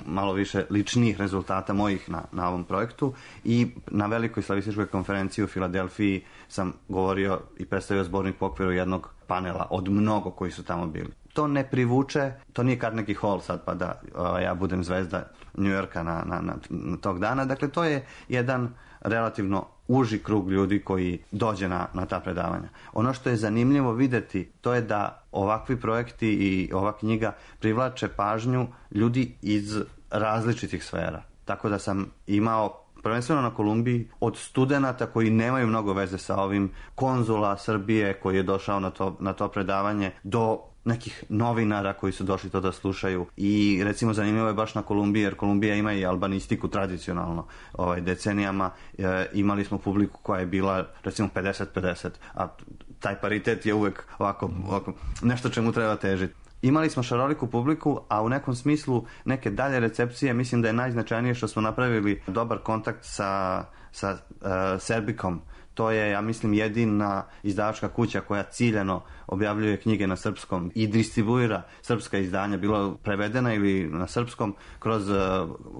Speaker 7: malo više ličnih rezultata mojih na ovom projektu i na velikoj slavističkoj konferenciji u Filadelfiji sam govorio i predstavio zbornik po okviru jednog panela od mnogo koji su tamo bili. To ne privuče, to nije Carnegie Hall sad pa da ja budem zvezda New Yorka na tog dana. Dakle, to je jedan relativno uži krug ljudi koji dođe na ta predavanja. Ono što je zanimljivo videti, to je da ovakvi projekti i ova knjiga privlače pažnju ljudi iz različitih sfera. Tako da sam imao prvenstveno na Kolumbiji od studenata koji nemaju mnogo veze sa ovim, konzula Srbije koji je došao na to predavanje, do nekih novinara koji su došli to da slušaju i recimo zanimljivo je baš na Kolumbiji, jer Kolumbija ima i albanistiku tradicionalno decenijama. Imali smo publiku koja je bila recimo 50-50, a taj paritet je uvek ovako nešto čemu treba težiti. Imali smo šaroliku publiku, a u nekom smislu neke dalje recepcije mislim da je najznačajnije što smo napravili dobar kontakt sa Serbikom. To je, ja mislim, jedina izdavačka kuća koja ciljano objavljuje knjige na srpskom i distribuira srpska izdanja, bilo prevedena ili na srpskom, kroz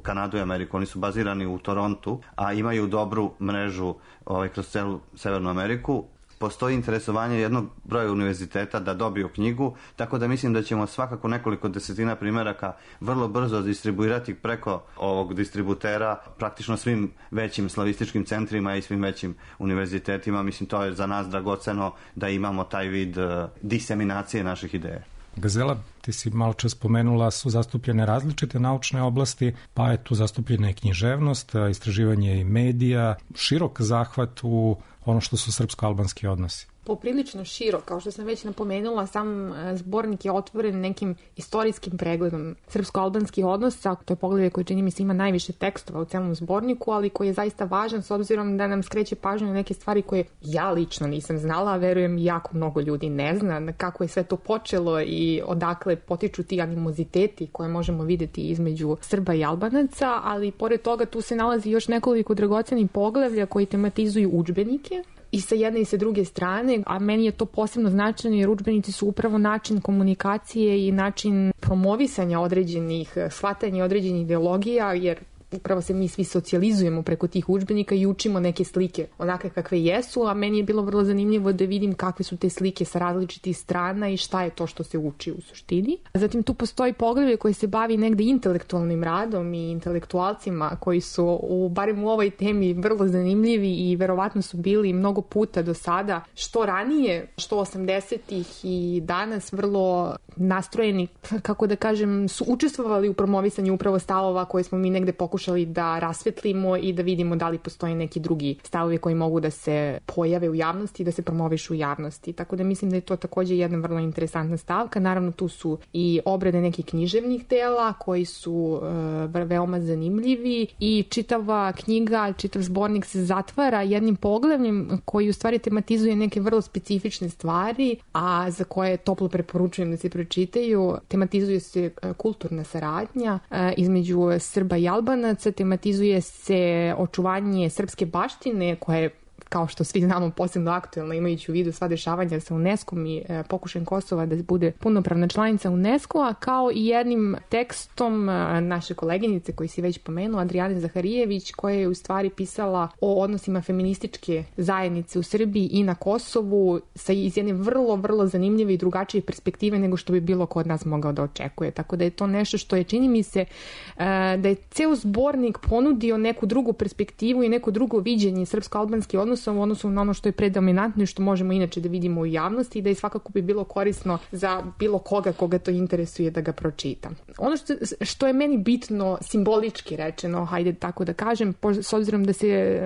Speaker 7: Kanadu i Ameriku. Oni su bazirani u Torontu, a imaju dobru mrežu kroz celu Severnu Ameriku. Postoji interesovanje jednog broja univerziteta da dobiju knjigu, tako da mislim da ćemo svakako nekoliko desetina primjeraka vrlo brzo distribuirati preko ovog distributera praktično svim većim slavističkim centrima i svim većim univerzitetima. Mislim, to je za nas dragoceno da imamo taj vid diseminacije naših ideja.
Speaker 5: Gazela, ti si malo čas spomenula, su zastupljene različite naučne oblasti, pa je tu zastupljena i književnost, istraživanje i medija, širok zahvat u ono što su srpsko-albanski odnosi.
Speaker 1: Poprilično širo, kao što sam već napomenula, sam zbornik je otvoren nekim istorijskim pregledom srpsko-albanskih odnosa. To je poglavlje koje čini mi se ima najviše tekstova u celom zborniku, ali koji je zaista važan s obzirom da nam skreće pažnju na neke stvari koje ja lično nisam znala, a verujem jako mnogo ljudi ne zna, kako je sve to počelo i odakle potiču ti animoziteti koje možemo videti između Srba i Albanaca, ali pored toga tu se nalazi još nekoliko dragocenih poglavlja koji tematizuju udžbenike i sa jedne i sa druge strane, a meni je to posebno značajno jer udžbenici su upravo način komunikacije i način promovisanja određenih, shvatanja određenih ideologija, jer upravo se mi svi socijalizujemo preko tih udžbenika i učimo neke slike onakve kakve jesu, a meni je bilo vrlo zanimljivo da vidim kakve su te slike sa različitih strana i šta je to što se uči u suštini. Zatim tu postoji poglavlje koje se bavi negde intelektualnim radom i intelektualcima koji su barem u ovoj temi vrlo zanimljivi i verovatno su bili mnogo puta do sada, što ranije, što 80-ih i danas vrlo nastrojeni, kako da kažem, su učestvovali u promovisanju upravo stavova koje smo mi negde pokušali da rasvetlimo i da vidimo da li postoji neki drugi stavovi koji mogu da se pojave u javnosti i da se promovišu u javnosti. Tako da mislim da je to također jedna vrlo interesantna stavka. Naravno tu su i obrade nekih književnih dela koji su veoma zanimljivi i čitava knjiga, čitav zbornik se zatvara jednim poglavljem koji u stvari tematizuje neke vrlo specifične stvari, a za koje toplo preporučujem da se pročitaju. Tematizuje se kulturna saradnja između Srba i Albanaca, tematizuje se očuvanje srpske baštine koje, kao što svi znamo, posebno aktuelno imajući u vidu sva dešavanja sa UNESCO-om i pokušajem Kosova da bude punopravna članica UNESCO-a, kao i jednim tekstom naše koleginice koji si već pomenuo, Adrijane Zaharijević, koja je u stvari pisala o odnosima feminističke zajednice u Srbiji i na Kosovu iz jedne vrlo, vrlo zanimljive i drugačije perspektive nego što bi bilo ko od nas mogao da očekuje. Tako da je to nešto što je, čini mi se, da je ceo zbornik ponudio neku drugu perspektivu i neko drugo viđenje srpsko-albanskih odnosa u odnosu na ono što je predominantno i što možemo inače da vidimo u javnosti i da je svakako bi bilo korisno za bilo koga to interesuje da ga pročita. Ono što je meni bitno, simbolički rečeno, hajde tako da kažem, s obzirom da se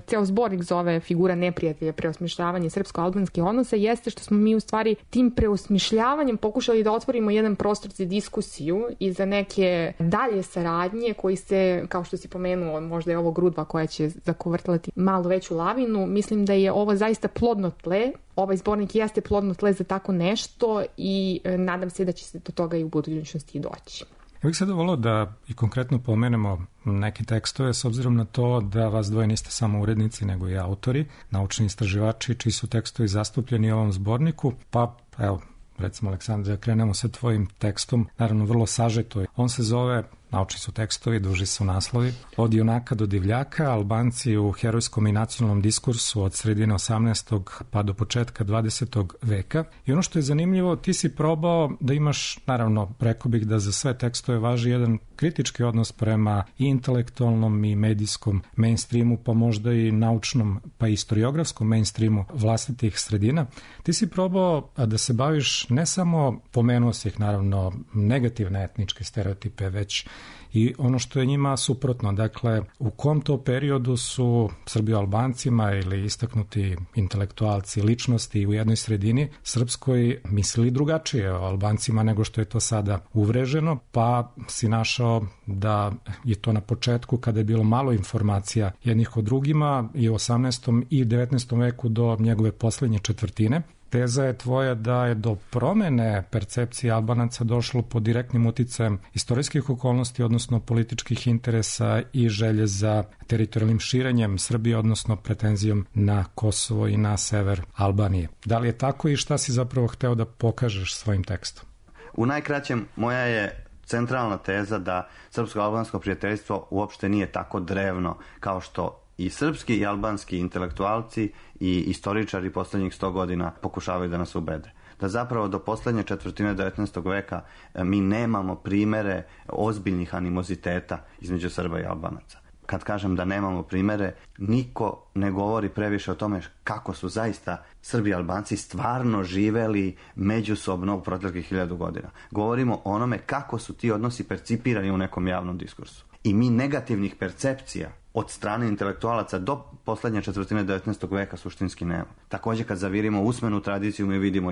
Speaker 1: ceo zbornik zove Figura neprijatelja, preosmišljavanje srpsko-albanskih odnosa, jeste što smo mi u stvari tim preosmišljavanjem pokušali da otvorimo jedan prostor za diskusiju i za neke dalje saradnje koji se, kao što si pomenuo, možda je ovo grudva koja će zakovrtlati malo veću lavinu. Mislim da je ovo zaista plodno tle. Ovaj zbornik jeste plodno tle za tako nešto i nadam se da će se do toga i u budućnosti doći.
Speaker 5: Ja bih sada volao da i konkretno pomenemo neke tekstove s obzirom na to da vas dvoje niste samo urednici nego i autori, naučni istraživači čiji su tekstovi zastupljeni u ovom zborniku. Pa evo, recimo Aleksandra, krenemo sa tvojim tekstom, naravno vrlo sažeto. On se zove, naučni su tekstovi, duži su naslovi, Od junaka do divljaka, Albanci u herojskom i nacionalnom diskursu od sredine 18. pa do početka 20. veka. I ono što je zanimljivo, ti si probao da imaš, naravno, rekao bih da za sve tekstove važi jedan kritički odnos prema i intelektualnom i medijskom mainstreamu, pa možda i naučnom, pa i historiografskom mainstreamu vlastitih sredina. Ti si probao da se baviš ne samo, pomenuo si ih naravno, negativne etničke stereotipe, već i ono što je njima suprotno. Dakle, u kom to periodu su Srbio-Albancima ili istaknuti intelektualci, ličnosti u jednoj sredini srpskoj mislili drugačije o Albancima nego što je to sada uvreženo, pa si našao da je to na početku kada je bilo malo informacija jednih o drugima i u 18. i 19. veku do njegove poslednje četvrtine. Teza je tvoja da je do promene percepcije Albanaca došlo pod direktnim uticajem istorijskih okolnosti, odnosno političkih interesa i želje za teritorijalnim širenjem Srbije, odnosno pretenzijom na Kosovo i na sever Albanije. Da li je tako i šta si zapravo hteo da pokažeš svojim tekstom?
Speaker 7: U najkraćem, moja je centralna teza da srpsko-albansko prijateljstvo uopšte nije tako drevno kao što i srpski i albanski intelektualci i istoričari poslednjih 100 godina pokušavaju da nas ubede. Da zapravo do poslednje četvrtine 19. veka mi nemamo primere ozbiljnih animoziteta između Srba i Albanaca. Kad kažem da nemamo primere, niko ne govori previše o tome kako su zaista Srbi i Albanci stvarno živeli međusobno u proteklih 1000 godina. Govorimo o onome kako su ti odnosi percipirani u nekom javnom diskursu. I mi negativnih percepcija od strane intelektualaca do poslednje četvrtine 19. veka suštinski nema. Takođe, kad zavirimo usmenu tradiciju, mi vidimo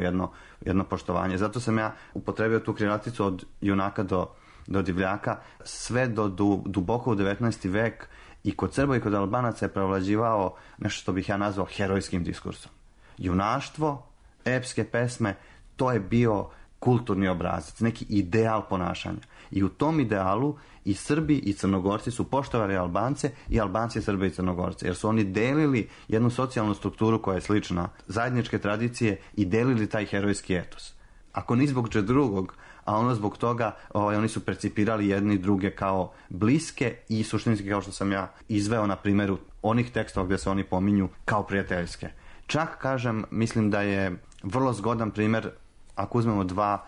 Speaker 7: jedno poštovanje. Zato sam ja upotrebio tu krilaticu od junaka do divljaka, sve do duboko u 19. vek i kod Srba i kod Albanaca je prevlađivao nešto što bih ja nazvao herojskim diskursom. Junaštvo, epske pesme, to je bio kulturni obrazac, neki ideal ponašanja. I u tom idealu i Srbi i Crnogorci su poštovali Albance i Albanci Srbe i Crnogorce, jer su oni delili jednu socijalnu strukturu koja je slična, zajedničke tradicije i delili taj herojski etos. Ako ni zbog drugog, a ono zbog toga oni su percipirali jedni druge kao bliske i suštinski, kao što sam ja izveo na primjeru onih tekstova gdje se oni pominju, kao prijateljske. Čak, kažem, mislim da je vrlo zgodan primjer ako uzmemo dva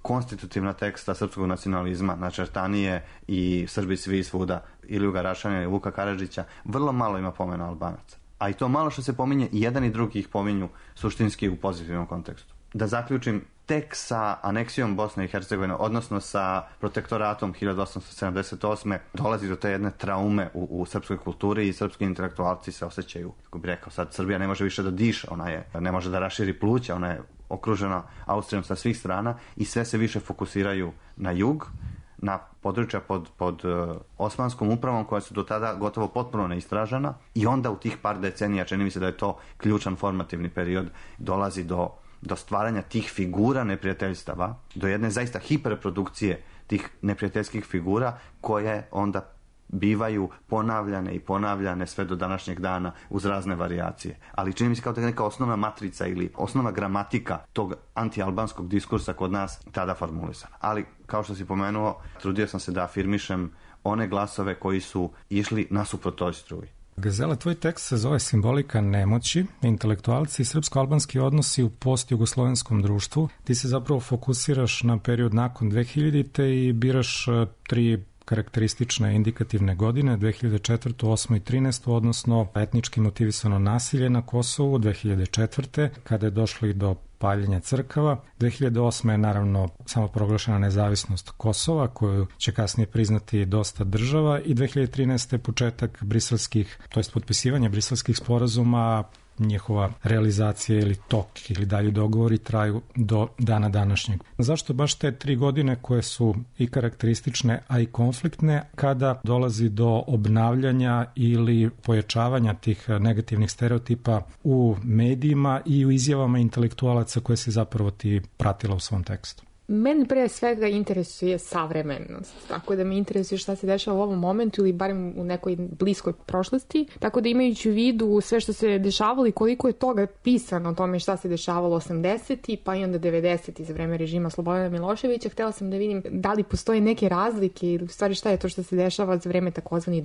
Speaker 7: konstitutivna teksta srpskog nacionalizma, Načertanije i Srbi svi svuda, Iljuga Rašana i Vuka Karadžića, vrlo malo ima pomena Albanaca. A i to malo što se pominje, i jedan i drugi ih pominju suštinski u pozitivnom kontekstu. Da zaključim, tek sa aneksijom Bosne i Hercegovine, odnosno sa protektoratom 1878. dolazi do te jedne traume u srpskoj kulturi i srpski intelektualci se osjećaju, kako bih rekao, sad Srbija ne može više da diše, ne može da raširi pluća, ona je okružena Austrijom sa svih strana i sve se više fokusiraju na jug, na područja pod osmanskom upravom koja su do tada gotovo potpuno neistražena, i onda u tih par decenija, čini mi se da je to ključan formativni period, dolazi do stvaranja tih figura neprijateljstava, do jedne zaista hiperprodukcije tih neprijateljskih figura koje onda bivaju ponavljane i ponavljane sve do današnjeg dana uz razne varijacije. Ali čini mi se kao da je neka osnovna matrica ili osnovna gramatika tog antialbanskog diskursa kod nas tada formulisana. Ali, kao što si pomenuo, trudio sam se da afirmišem one glasove koji su išli nasuprot toj struji.
Speaker 5: Gazela, tvoj tekst se zove Simbolika nemoći, intelektualci i srpsko-albanski odnosi u post-jugoslovenskom društvu. Ti se zapravo fokusiraš na period nakon 2000. i biraš 3 karakteristične indikativne godine, 2004., 8. i 13. odnosno etnički motivisano nasilje na Kosovu 2004. kada je došlo i do paljenja crkava. 2008. je naravno samo proglašena nezavisnost Kosova, koju će kasnije priznati dosta država, i 2013. početak briselskih, to jest potpisivanje briselskih sporazuma, njihova realizacija ili tok ili dalji dogovori traju do dana današnjeg. Zašto baš te 3 godine koje su i karakteristične, a i konfliktne, kada dolazi do obnavljanja ili pojačavanja tih negativnih stereotipa u medijima i u izjavama intelektualaca koje se zapravo ti pratila u svom tekstu?
Speaker 1: Meni pre svega interesuje savremenost, tako da me interesuje šta se dešava u ovom momentu ili barem u nekoj bliskoj prošlosti, tako da imajući u vidu sve što se dešavalo i koliko je toga pisano o tome šta se dešavalo 80. pa i onda 90. za vreme režima Slobodana Miloševića, htela sam da vidim da li postoje neke razlike ili u stvari šta je to što se dešava za vreme takozvanih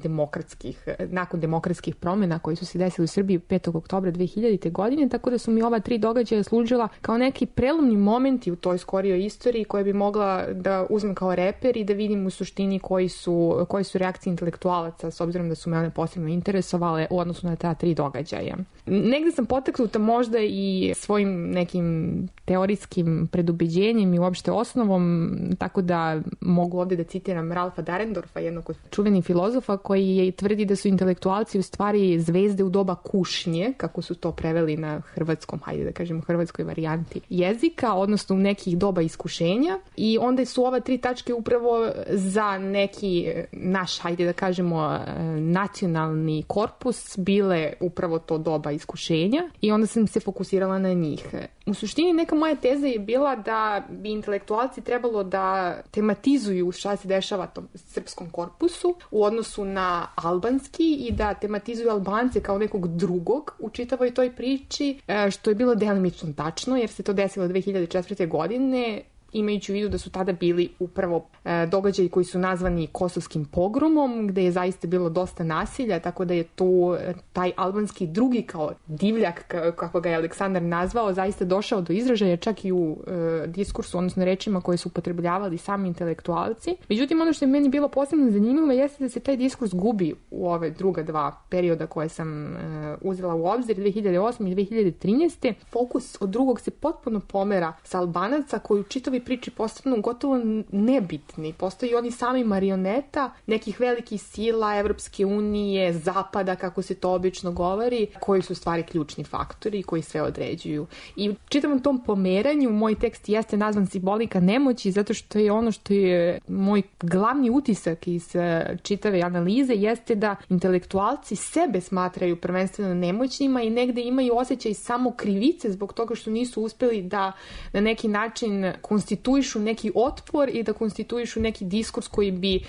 Speaker 1: nakon demokratskih promjena koji su se desili u Srbiji 5. oktobra 2000. godine, tako da su mi ova 3 događaja služila kao neki prelomni momenti u toj skorijoj istoriji faktori koje bi mogla da uzmem kao reper i da vidim u suštini koji su reakcije intelektualaca, s obzirom da su me one posebno interesovale u odnosu na ta 3 događaja. Negde sam poteknuta možda i svojim nekim teorijskim predubeđenjem i uopšte osnovom, tako da mogu ovde da citiram Ralfa Dahrendorfa, jednog od čuvenih filozofa, koji je tvrdi da su intelektualci u stvari zvezde u doba kušnje, kako su to preveli na hrvatskom, hajde da kažemo hrvatskoj varijanti jezika, odnosno u nekih doba iskušenja, i onda su ova 3 tačke upravo za neki naš, hajde da kažemo, nacionalni korpus bile upravo to doba iskušenja i onda sam se fokusirala na njih. U suštini neka moja teza je bila da bi intelektualci trebalo da tematizuju šta se dešava tom srpskom korpusu u odnosu na albanski i da tematizuju Albance kao nekog drugog u čitavoj toj priči, što je bilo delimično tačno jer se to desilo 2004. godine, imajući u vidu da su tada bili upravo događaji koji su nazvani kosovskim pogromom, gde je zaista bilo dosta nasilja, tako da je tu taj albanski drugi kao divljak, kako ga je Aleksandar nazvao, zaista došao do izražaja čak i u diskursu, odnosno rečima koje su upotrebljavali sami intelektualci. Međutim, ono što je meni bilo posebno zanimljivo jeste da se taj diskurs gubi u ove druga 2 perioda koje sam uzela u obzir, 2008. i 2013. Fokus od drugog se potpuno pomera sa Albanaca koji u čitavi priči postanu gotovo nebitni. Postoji oni sami marioneta nekih velikih sila Evropske unije, Zapada, kako se to obično govori, koji su stvari ključni faktori koji sve određuju. I u čitavom tom pomeranju moj tekst jeste nazvan Simbolika nemoći, zato što je ono što je moj glavni utisak iz čitave analize jeste da intelektualci sebe smatraju prvenstveno nemoćnima i negde imaju osjećaj samo krivice zbog toga što nisu uspeli da na neki način konstituišu neki otpor i da konstituišu neki diskurs koji bi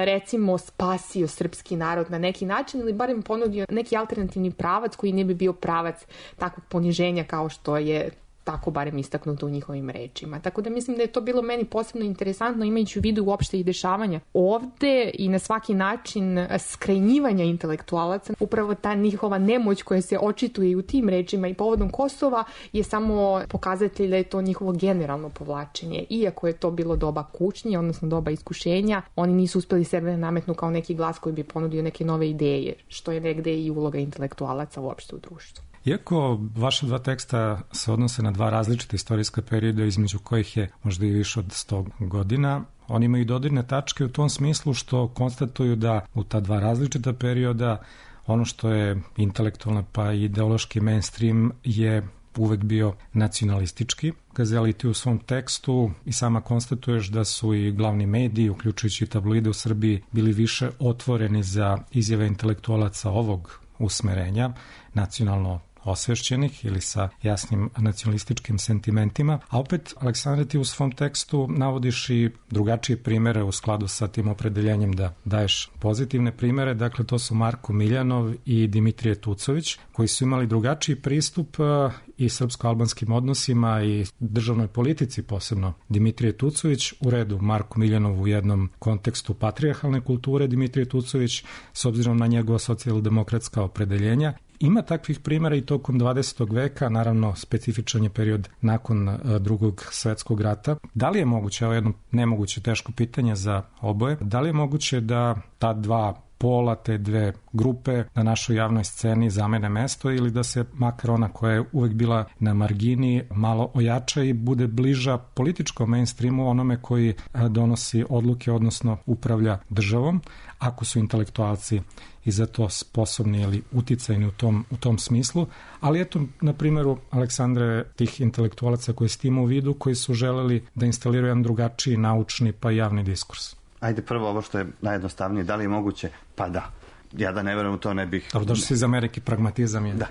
Speaker 1: recimo spasio srpski narod na neki način ili barem ponudio neki alternativni pravac koji ne bi bio pravac takvog poniženja kao što je tako barem istaknuto u njihovim rečima. Tako da mislim da je to bilo meni posebno interesantno imajući u vidu uopšte i dešavanja ovde i na svaki način skrajnjivanja intelektualaca. Upravo ta njihova nemoć koja se očituje i u tim rečima i povodom Kosova je samo pokazatelj da je to njihovo generalno povlačenje. Iako je to bilo doba kušnje, odnosno doba iskušenja, oni nisu uspeli sebe nametnu kao neki glas koji bi ponudio neke nove ideje, što je negde i uloga intelektualaca uopšte u društvu.
Speaker 5: Iako vaša 2 teksta se odnose na 2 različite istorijska perioda između kojih je možda i više od 100 godina, oni imaju dodirne tačke u tom smislu što konstatuju da u ta 2 različita perioda ono što je intelektualno pa i ideološki mainstream je uvek bio nacionalistički. Gazeli, ti u svom tekstu i sama konstatuješ da su i glavni mediji, uključujući tabloide u Srbiji, bili više otvoreni za izjave intelektualaca ovog usmerenja, nacionalno osvešćenih ili sa jasnim nacionalističkim sentimentima, a opet, Aleksandre, ti u svom tekstu navodiš i drugačije primere u skladu sa tim opredeljenjem da daješ pozitivne primere, dakle to su Marko Miljanov i Dimitrije Tucović, koji su imali drugačiji pristup i srpsko-albanskim odnosima i državnoj politici, posebno Dimitrije Tucović, u redu Marko Miljanov u jednom kontekstu patrijarhalne kulture, Dimitrije Tucović s obzirom na njegova socijaldemokratska opredeljenja. Ima takvih primjera i tokom 20. veka, naravno specifičan je period nakon Drugog svetskog rata. Da li je moguće, ovo je jedno nemoguće teško pitanje za oboje, da li je moguće da ta 2 pola, te 2 grupe na našoj javnoj sceni zamene mesto ili da se makar ona koja je uvek bila na margini malo ojača i bude bliža političkom mainstreamu, onome koji donosi odluke, odnosno upravlja državom, ako su intelektualci i za to sposobni ili uticajni u tom smislu. Ali eto, na primjeru, Aleksandre, tih intelektualaca koji s tim u vidu, koji su želeli da instaliraju jedan drugačiji naučni pa javni diskurs.
Speaker 7: Ajde prvo ovo što je najjednostavnije, da li je moguće? Pa da. Ja da ne verujem u to ne bih...
Speaker 5: Dobro, došli si iz Amerike, pragmatizam je.
Speaker 7: Da,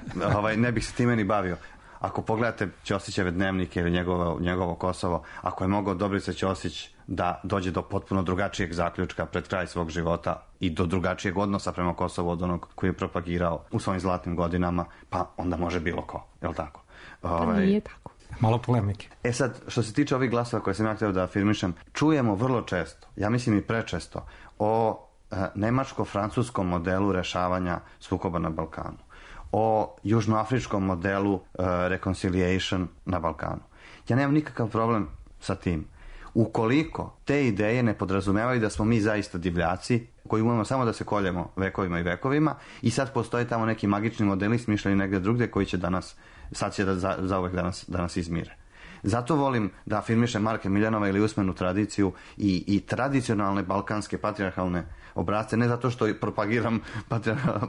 Speaker 7: ne bih se time ni bavio. Ako pogledate Ćosićeve dnevnike ili njegovo Kosovo, ako je mogao Dobrica Ćosić da dođe do potpuno drugačijeg zaključka pred kraj svog života i do drugačijeg odnosa prema Kosovu od onog koji je propagirao u svojim zlatnim godinama, pa onda može bilo ko, je li tako?
Speaker 1: Nije tako.
Speaker 5: Malo polemike.
Speaker 7: Sad, što se tiče ovih glasova koje sam ja htio da afirmišem, čujemo vrlo često, ja mislim i prečesto, o nemačko-francuskom modelu rešavanja sukoba na Balkanu, o južnoafričkom modelu reconciliation na Balkanu. Ja nemam nikakav problem sa tim. Ukoliko te ideje ne podrazumevaju da smo mi zaista divljaci, koji umemo samo da se koljemo vekovima i vekovima i sad postoje tamo neki magični modeli smišljeni negde drugde koji će sad će zauvek da nas izmire. Zato volim da afirmišem Marka Miljanova ili usmenu tradiciju i tradicionalne balkanske patrijarhalne obrazce, ne zato što propagiram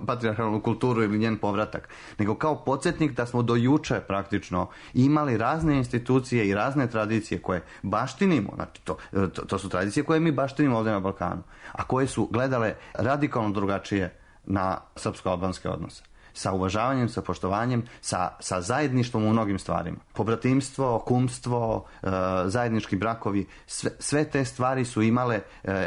Speaker 7: patrijarhalnu kulturu ili njen povratak, nego kao podsjetnik da smo do juče praktično imali razne institucije i razne tradicije koje baštinimo, znači to su tradicije koje mi baštinimo ovdje na Balkanu, a koje su gledale radikalno drugačije na srpsko-albanske odnose. Sa uvažavanjem, sa poštovanjem, sa zajedništvom u mnogim stvarima. Pobratimstvo, kumstvo, zajednički brakovi, sve te stvari su imale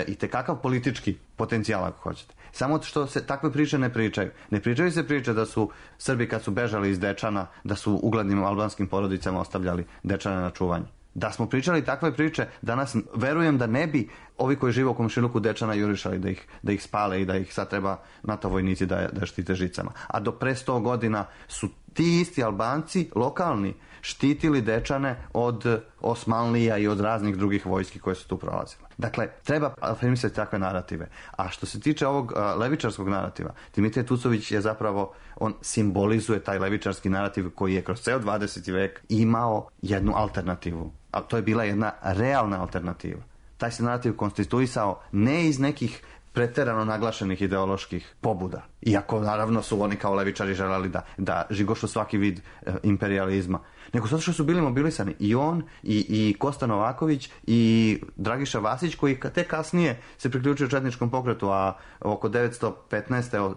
Speaker 7: i tekakav politički potencijal, ako hoćete. Samo što se takve priče ne pričaju. Ne pričaju se priče da su Srbi kad su bežali iz Dečana, da su uglednim albanskim porodicama ostavljali Dečane na čuvanje. Da smo pričali takve priče, danas verujem da ne bi ovi koji žive u komšiluku Dečana jurišali da ih spale i da ih sad treba NATO vojnici da štite žicama. A do pre 100 godina su ti isti Albanci, lokalni, štitili Dečane od Osmanlija i od raznih drugih vojski koje su tu prolazile. Dakle, treba afirmisati takve narative. A što se tiče ovog levičarskog narativa, Dimitrije Tucović je zapravo, on simbolizuje taj levičarski narativ koji je kroz ceo 20. vek imao jednu alternativu. A to je bila jedna realna alternativa. Taj se narativ konstituisao ne iz nekih preterano naglašenih ideoloških pobuda. Iako naravno su oni kao levičari želeli da žigošu svaki vid imperializma. Nego zato što su bili mobilisani i on i Kosta Novaković i Dragiša Vasić koji te kasnije se priključio četničkom pokretu, a oko 915.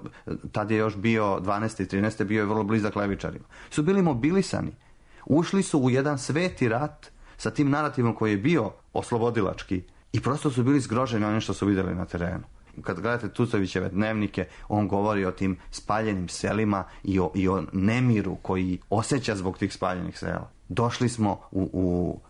Speaker 7: tad je još bio 12. i 13. bio je vrlo blizak levičarima. Su bili mobilisani. Ušli su u jedan sveti rat sa tim narativom koji je bio oslobodilački i prosto su bili zgroženi onim što su vidjeli na terenu. Kad gledate Tucovićeve dnevnike, on govori o tim spaljenim selima i o nemiru koji osjeća zbog tih spaljenih sela. Došli smo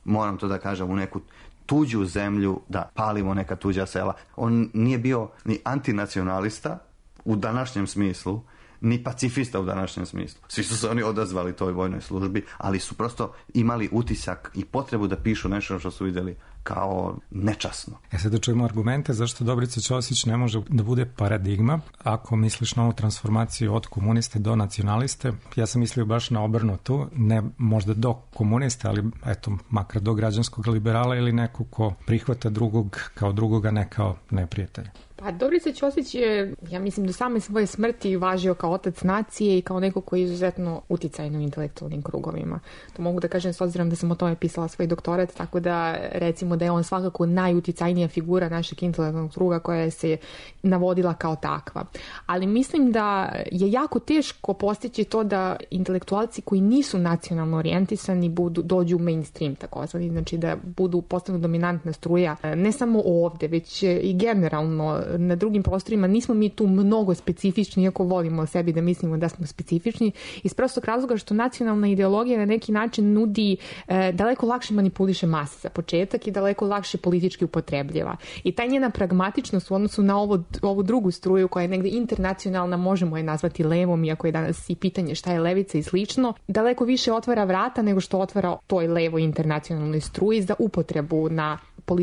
Speaker 7: moram to da kažem, u neku tuđu zemlju da palimo neka tuđa sela. On nije bio ni antinacionalista u današnjem smislu, ni pacifista u današnjem smislu. Svi su se oni odazvali toj vojnoj službi, ali su prosto imali utisak i potrebu da pišu nešto što su vidjeli kao nečasno.
Speaker 5: Sad da čujemo argumente zašto Dobrica Ćosić ne može da bude paradigma. Ako misliš na ovu transformaciju od komuniste do nacionaliste, ja sam mislio baš na obrnutu, ne možda do komuniste, ali eto, makar do građanskog liberala ili neko ko prihvata drugog kao drugoga, ne kao neprijatelja.
Speaker 1: Pa Dobrica Ćosić je, ja mislim, do same svoje smrti važio kao otac nacije i kao neko koji je izuzetno uticajno u intelektualnim krugovima. To mogu da kažem s obzirom da sam o tome pisala svoj doktorat, tako da recimo da je on svakako najuticajnija figura našeg intelektualnog kruga koja se navodila kao takva. Ali mislim da je jako teško postići to da intelektualci koji nisu nacionalno orijentisani dođu u mainstream takozvani, znači da postanu dominantna struja, ne samo ovde, već i generalno na drugim prostorima. Nismo mi tu mnogo specifični, iako volimo o sebi da mislimo da smo specifični, iz prostog razloga što nacionalna ideologija na neki način nudi daleko lakše manipuliše mase za početak i daleko lakše politički upotrebljiva. I ta njena pragmatičnost u odnosu na ovu drugu struju koja je negde internacionalna, možemo je nazvati levom, iako je danas i pitanje šta je levica i slično, daleko više otvara vrata nego što otvara toj levoj internacionalnoj struji za upotrebu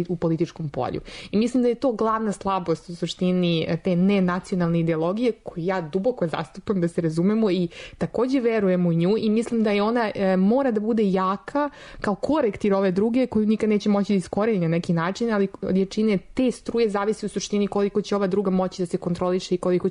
Speaker 1: u političkom polju. I mislim da je to glavna slabost u suštini te nenacionalne ideologije koju ja duboko zastupam, da se razumemo, i također verujem u nju i mislim da je ona mora da bude jaka kao korektir ove druge koju nikad neće moći da iskoreni na neki način, ali od jačine te struje zavisi u suštini koliko će ova druga moći da se kontroliše i koliko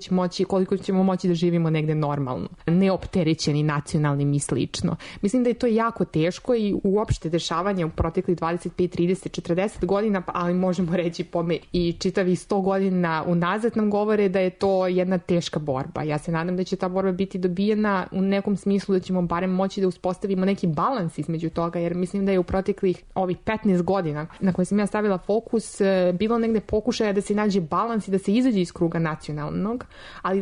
Speaker 1: ćemo moći da živimo negde normalno, neopterećeni nacionalnim i slično. Mislim da je to jako teško i uopšte dešavanje u proteklih 25, 30, 40 godina, ali možemo reći i čitavi 100 godina unazad nam govore da je to jedna teška borba. Ja se nadam da će ta borba biti dobijena u nekom smislu, da ćemo barem moći da uspostavimo neki balans između toga, jer mislim da je u proteklih ovih 15 godina na koje sam ja stavila fokus bilo negde pokušaja da se nađe balans i da se izađe iz kruga nacionalnog, ali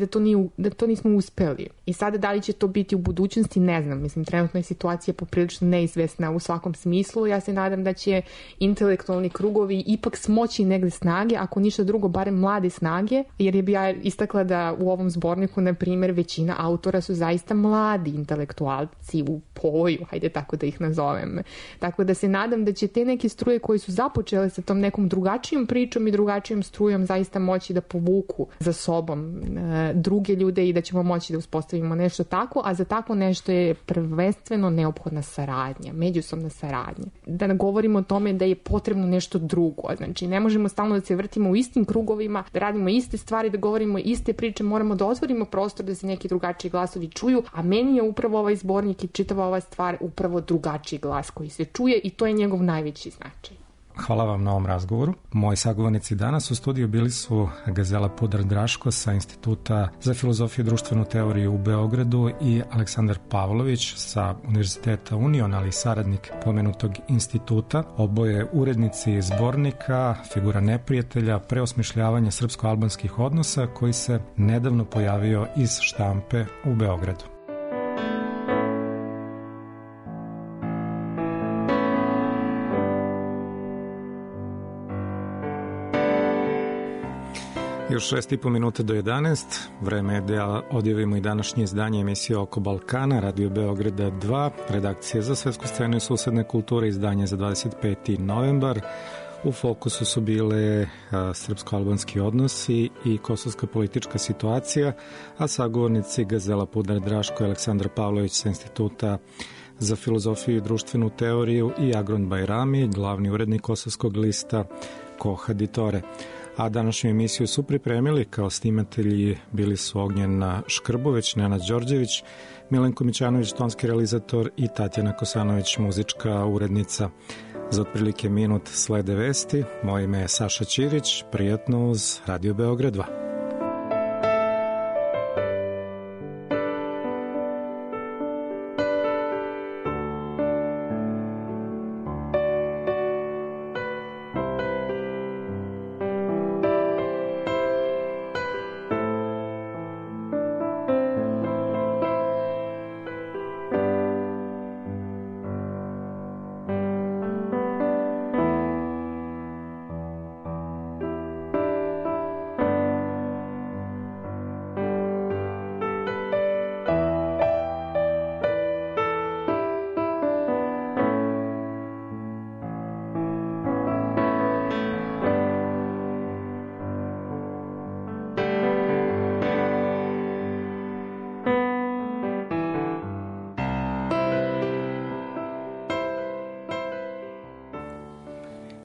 Speaker 1: da to nismo uspeli. I sada da li će to biti u budućnosti, ne znam. Mislim, trenutno je situacija poprilično neizvesna u svakom smislu. Ja se nadam da će intelektualni mali krugovi ipak smoći negde snage, ako ništa drugo, barem mlade snage, jer bi ja istakla da u ovom zborniku, na primjer, većina autora su zaista mladi intelektualci u povoju, hajde tako da ih nazovem. Tako da se nadam da će te neke struje koje su započele sa tom nekom drugačijom pričom i drugačijom strujom zaista moći da povuku za sobom druge ljude i da ćemo moći da uspostavimo nešto tako, a za tako nešto je prvenstveno neophodna saradnja, međusobna saradnja. Da ne govorimo o tome da je potrebno nešto drugo, znači ne možemo stalno da se vrtimo u istim krugovima, da radimo iste stvari, da govorimo iste priče, moramo da otvorimo prostor da se neki drugačiji glasovi čuju, a meni je upravo ovaj zbornik i čitava ova stvar upravo drugačiji glas koji se čuje i to je njegov najveći značaj.
Speaker 5: Hvala vam na ovom razgovoru. Moji sagovornici danas u studiju bili su Gazela Pudar-Draško sa Instituta za filozofiju i društvenu teoriju u Beogradu i Aleksandar Pavlović sa Univerziteta Union, ali i saradnik pomenutog instituta. Oboje urednici zbornika Figura neprijatelja, preosmišljavanja srpsko-albanskih odnosa, koji se nedavno pojavio iz štampe u Beogradu. Još 6,5 minuta do 11. Vreme je da odjavimo i današnje izdanje emisije Oko Balkana, Radio Beograda 2, redakcije za svetsku scenu i susedne kulture, izdanje za 25. novembar. U fokusu su bile srpsko-albanski odnosi i kosovska politička situacija, a sagovornici Gazela Pudar-Draško i Aleksandar Pavlović sa Instituta za filozofiju i društvenu teoriju i Agron Bajrami, glavni urednik kosovskog lista Koha Ditore. A današnju emisiju su pripremili kao snimatelji bili su Ognjena Škrbović, Nenad Đorđević, Milenko Mićanović, tonski realizator i Tatjana Kosanović, muzička urednica. Za otprilike minut slede vesti. Moje ime je Saša Ćirić. Prijatno uz Radio Beograd 2.